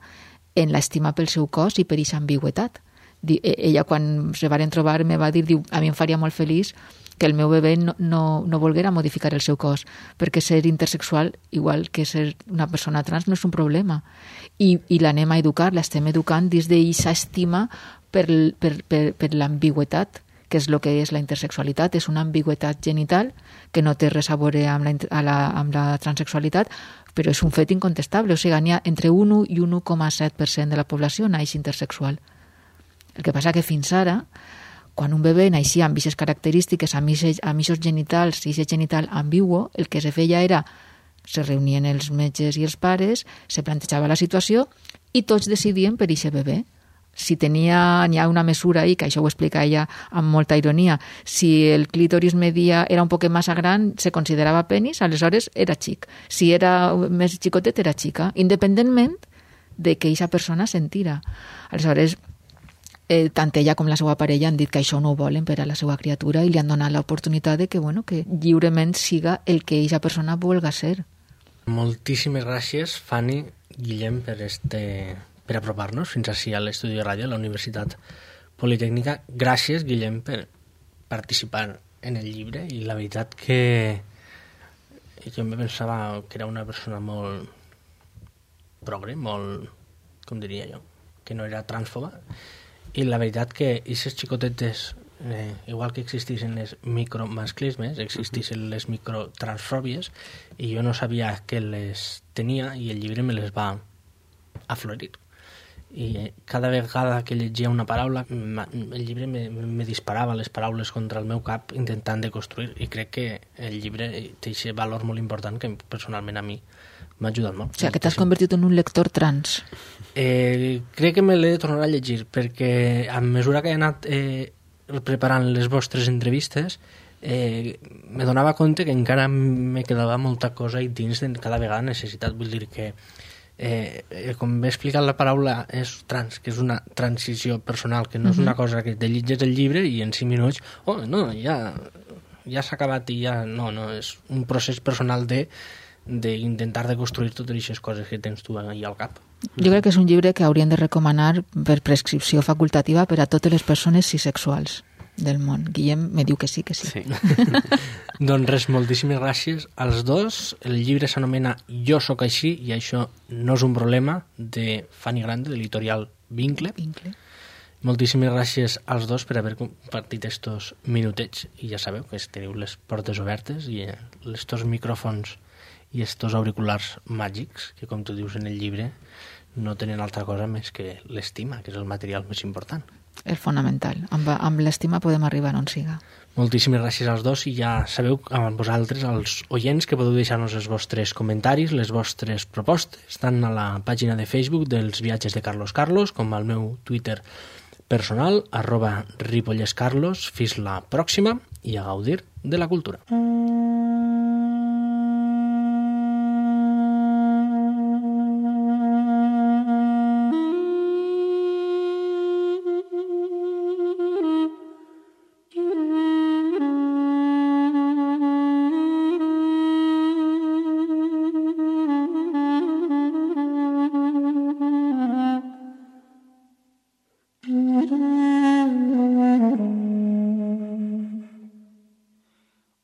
en l'estima pel seu cos i per aquesta ambigüetat. Ella, quan se varen trobar, me va dir, diu, a mi em faria molt feliç que el meu bebè no, no, no volguera modificar el seu cos, perquè ser intersexual, igual que ser una persona trans, no és un problema. I, i l'anem a educar, l'estem educant des d'aquesta estima per, per, per, per l'ambigüetat, que és el que és la intersexualitat. És una ambigüetat genital que no té res a veure amb la, a la, amb la transexualitat, però és un fet incontestable. O sigui, n'hi ha entre un i un u coma set per cent de la població naix intersexual. El que passa que fins ara, quan un bebè naixia amb aquestes característiques, amb aquests genitals i aquest genital ambiguo, el que se feia era, se reunien els metges i els pares, se plantejava la situació i tots decidien per aquest bebè. Si tenia, n'hi ha una mesura ahí, que això ho explica ella amb molta ironia, si el clítoris media era un poc massa gran, se considerava penis, aleshores era xic. Si era més xicotet, era xica, independentment de que aquesta persona sentira. Aleshores, Eh, tant ella com la seva parella han dit que això no ho volen per a la seva criatura i li han donat l'oportunitat de que, bueno, que lliurement siga el que aquesta persona vulga ser. Moltíssimes gràcies, Fanny, Guillem, per, este, per apropar-nos fins així a l'estudi de ràdio a la Universitat Politècnica. Gràcies, Guillem, per participar en el llibre, i la veritat que jo em pensava que era una persona molt progre, molt, com diria jo, que no era transfoba. I la veritat que aquestes xicotetes eh, igual que existissin les micromasclismes, existissin les microtransfòbies, i jo no sabia que les tenia i el llibre me les va aflorir. I cada vegada que llegia una paraula el llibre me, me disparava les paraules contra el meu cap intentant de construir, i crec que el llibre té aquest valor molt important que personalment a mi m'ha ajudat molt. O sigui, que t'has convertit en un lector trans. Eh, crec que me l'he de tornar a llegir, perquè a mesura que he anat eh, preparant les vostres entrevistes eh, me donava compte que encara me quedava molta cosa i dins de cada vegada necessitat. Vull dir que Eh, com m'he explicat la paraula és trans, que és una transició personal, que no és una cosa que te llitges el llibre i en cinc minuts, oh, no, ja, ja s'ha acabat i ja, no, no, és un procés personal de d'intentar de construir totes aquestes coses que tens tu ahí al cap. Jo crec que és un llibre que haurien de recomanar per prescripció facultativa per a totes les persones cisexuals del món. Guillem me diu que sí, que sí. sí. Doncs res, moltíssimes gràcies als dos. El llibre s'anomena Jo sóc així i això no és un problema, de Fanny Grande, de l'editorial Vincle. Vincle. Moltíssimes gràcies als dos per haver compartit estos minutets, i ja sabeu que teniu les portes obertes i estos micròfons i estos auriculars màgics que, com tu dius en el llibre, no tenen altra cosa més que l'estima, que és el material més important. És fonamental. Amb, amb l'estima podem arribar on siga. Moltíssimes gràcies als dos, i ja sabeu a vosaltres, als oients, que podeu deixar-nos els vostres comentaris, les vostres propostes, tant a la pàgina de Facebook dels viatges de Carlos Carlos com al meu Twitter personal, arroba ripollescarlos. Fins la pròxima i a gaudir de la cultura.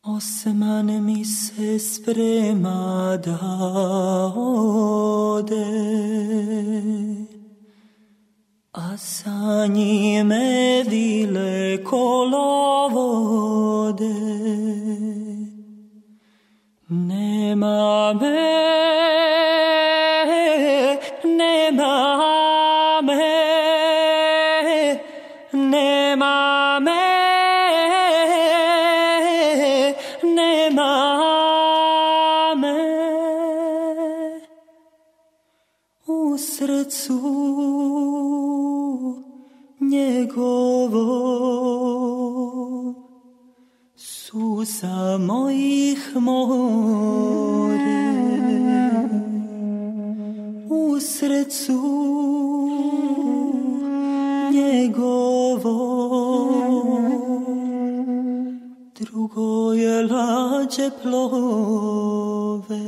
Osman mi se sprema da ode, a sa njime vile kolovode. Nema me, nema me, nema me. Srcu njegovo suza mojih more, u srcu njegovo drugo je lađe plove.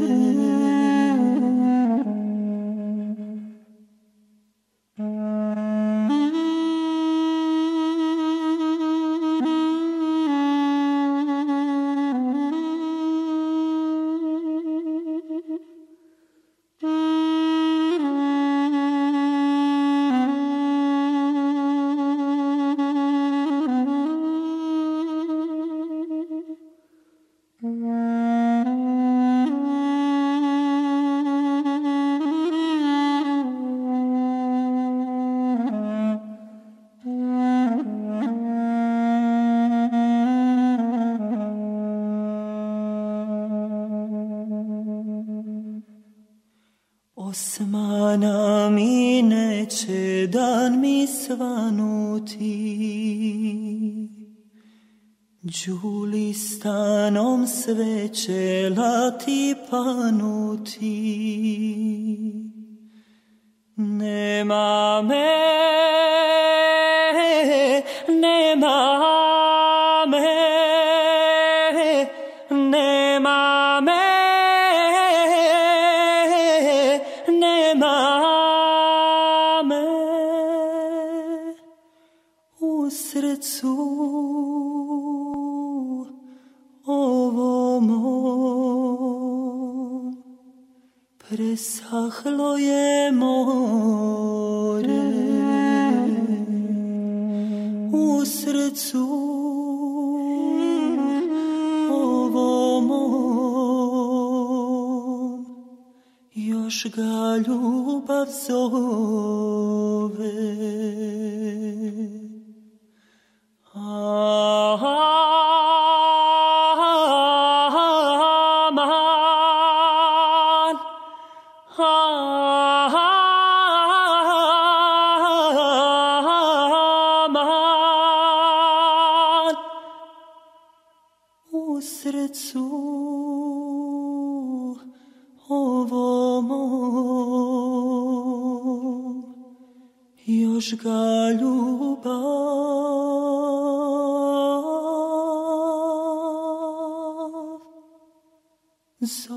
Osmana mi neće dan mi svanuti, Đulistanom sve će lati panuti. Nema me, nema me, nema me. Srcu ovo mom presahlo je more, u srcu Još ga ljubav zove. Aman, aman, u srcu ovom još ga ljubav zove.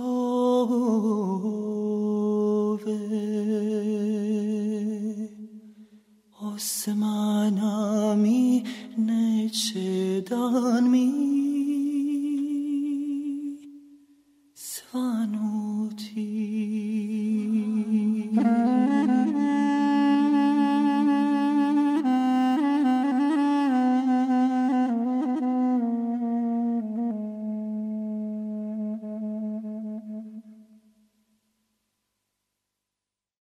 Osmana mi neće dan mi svanuti.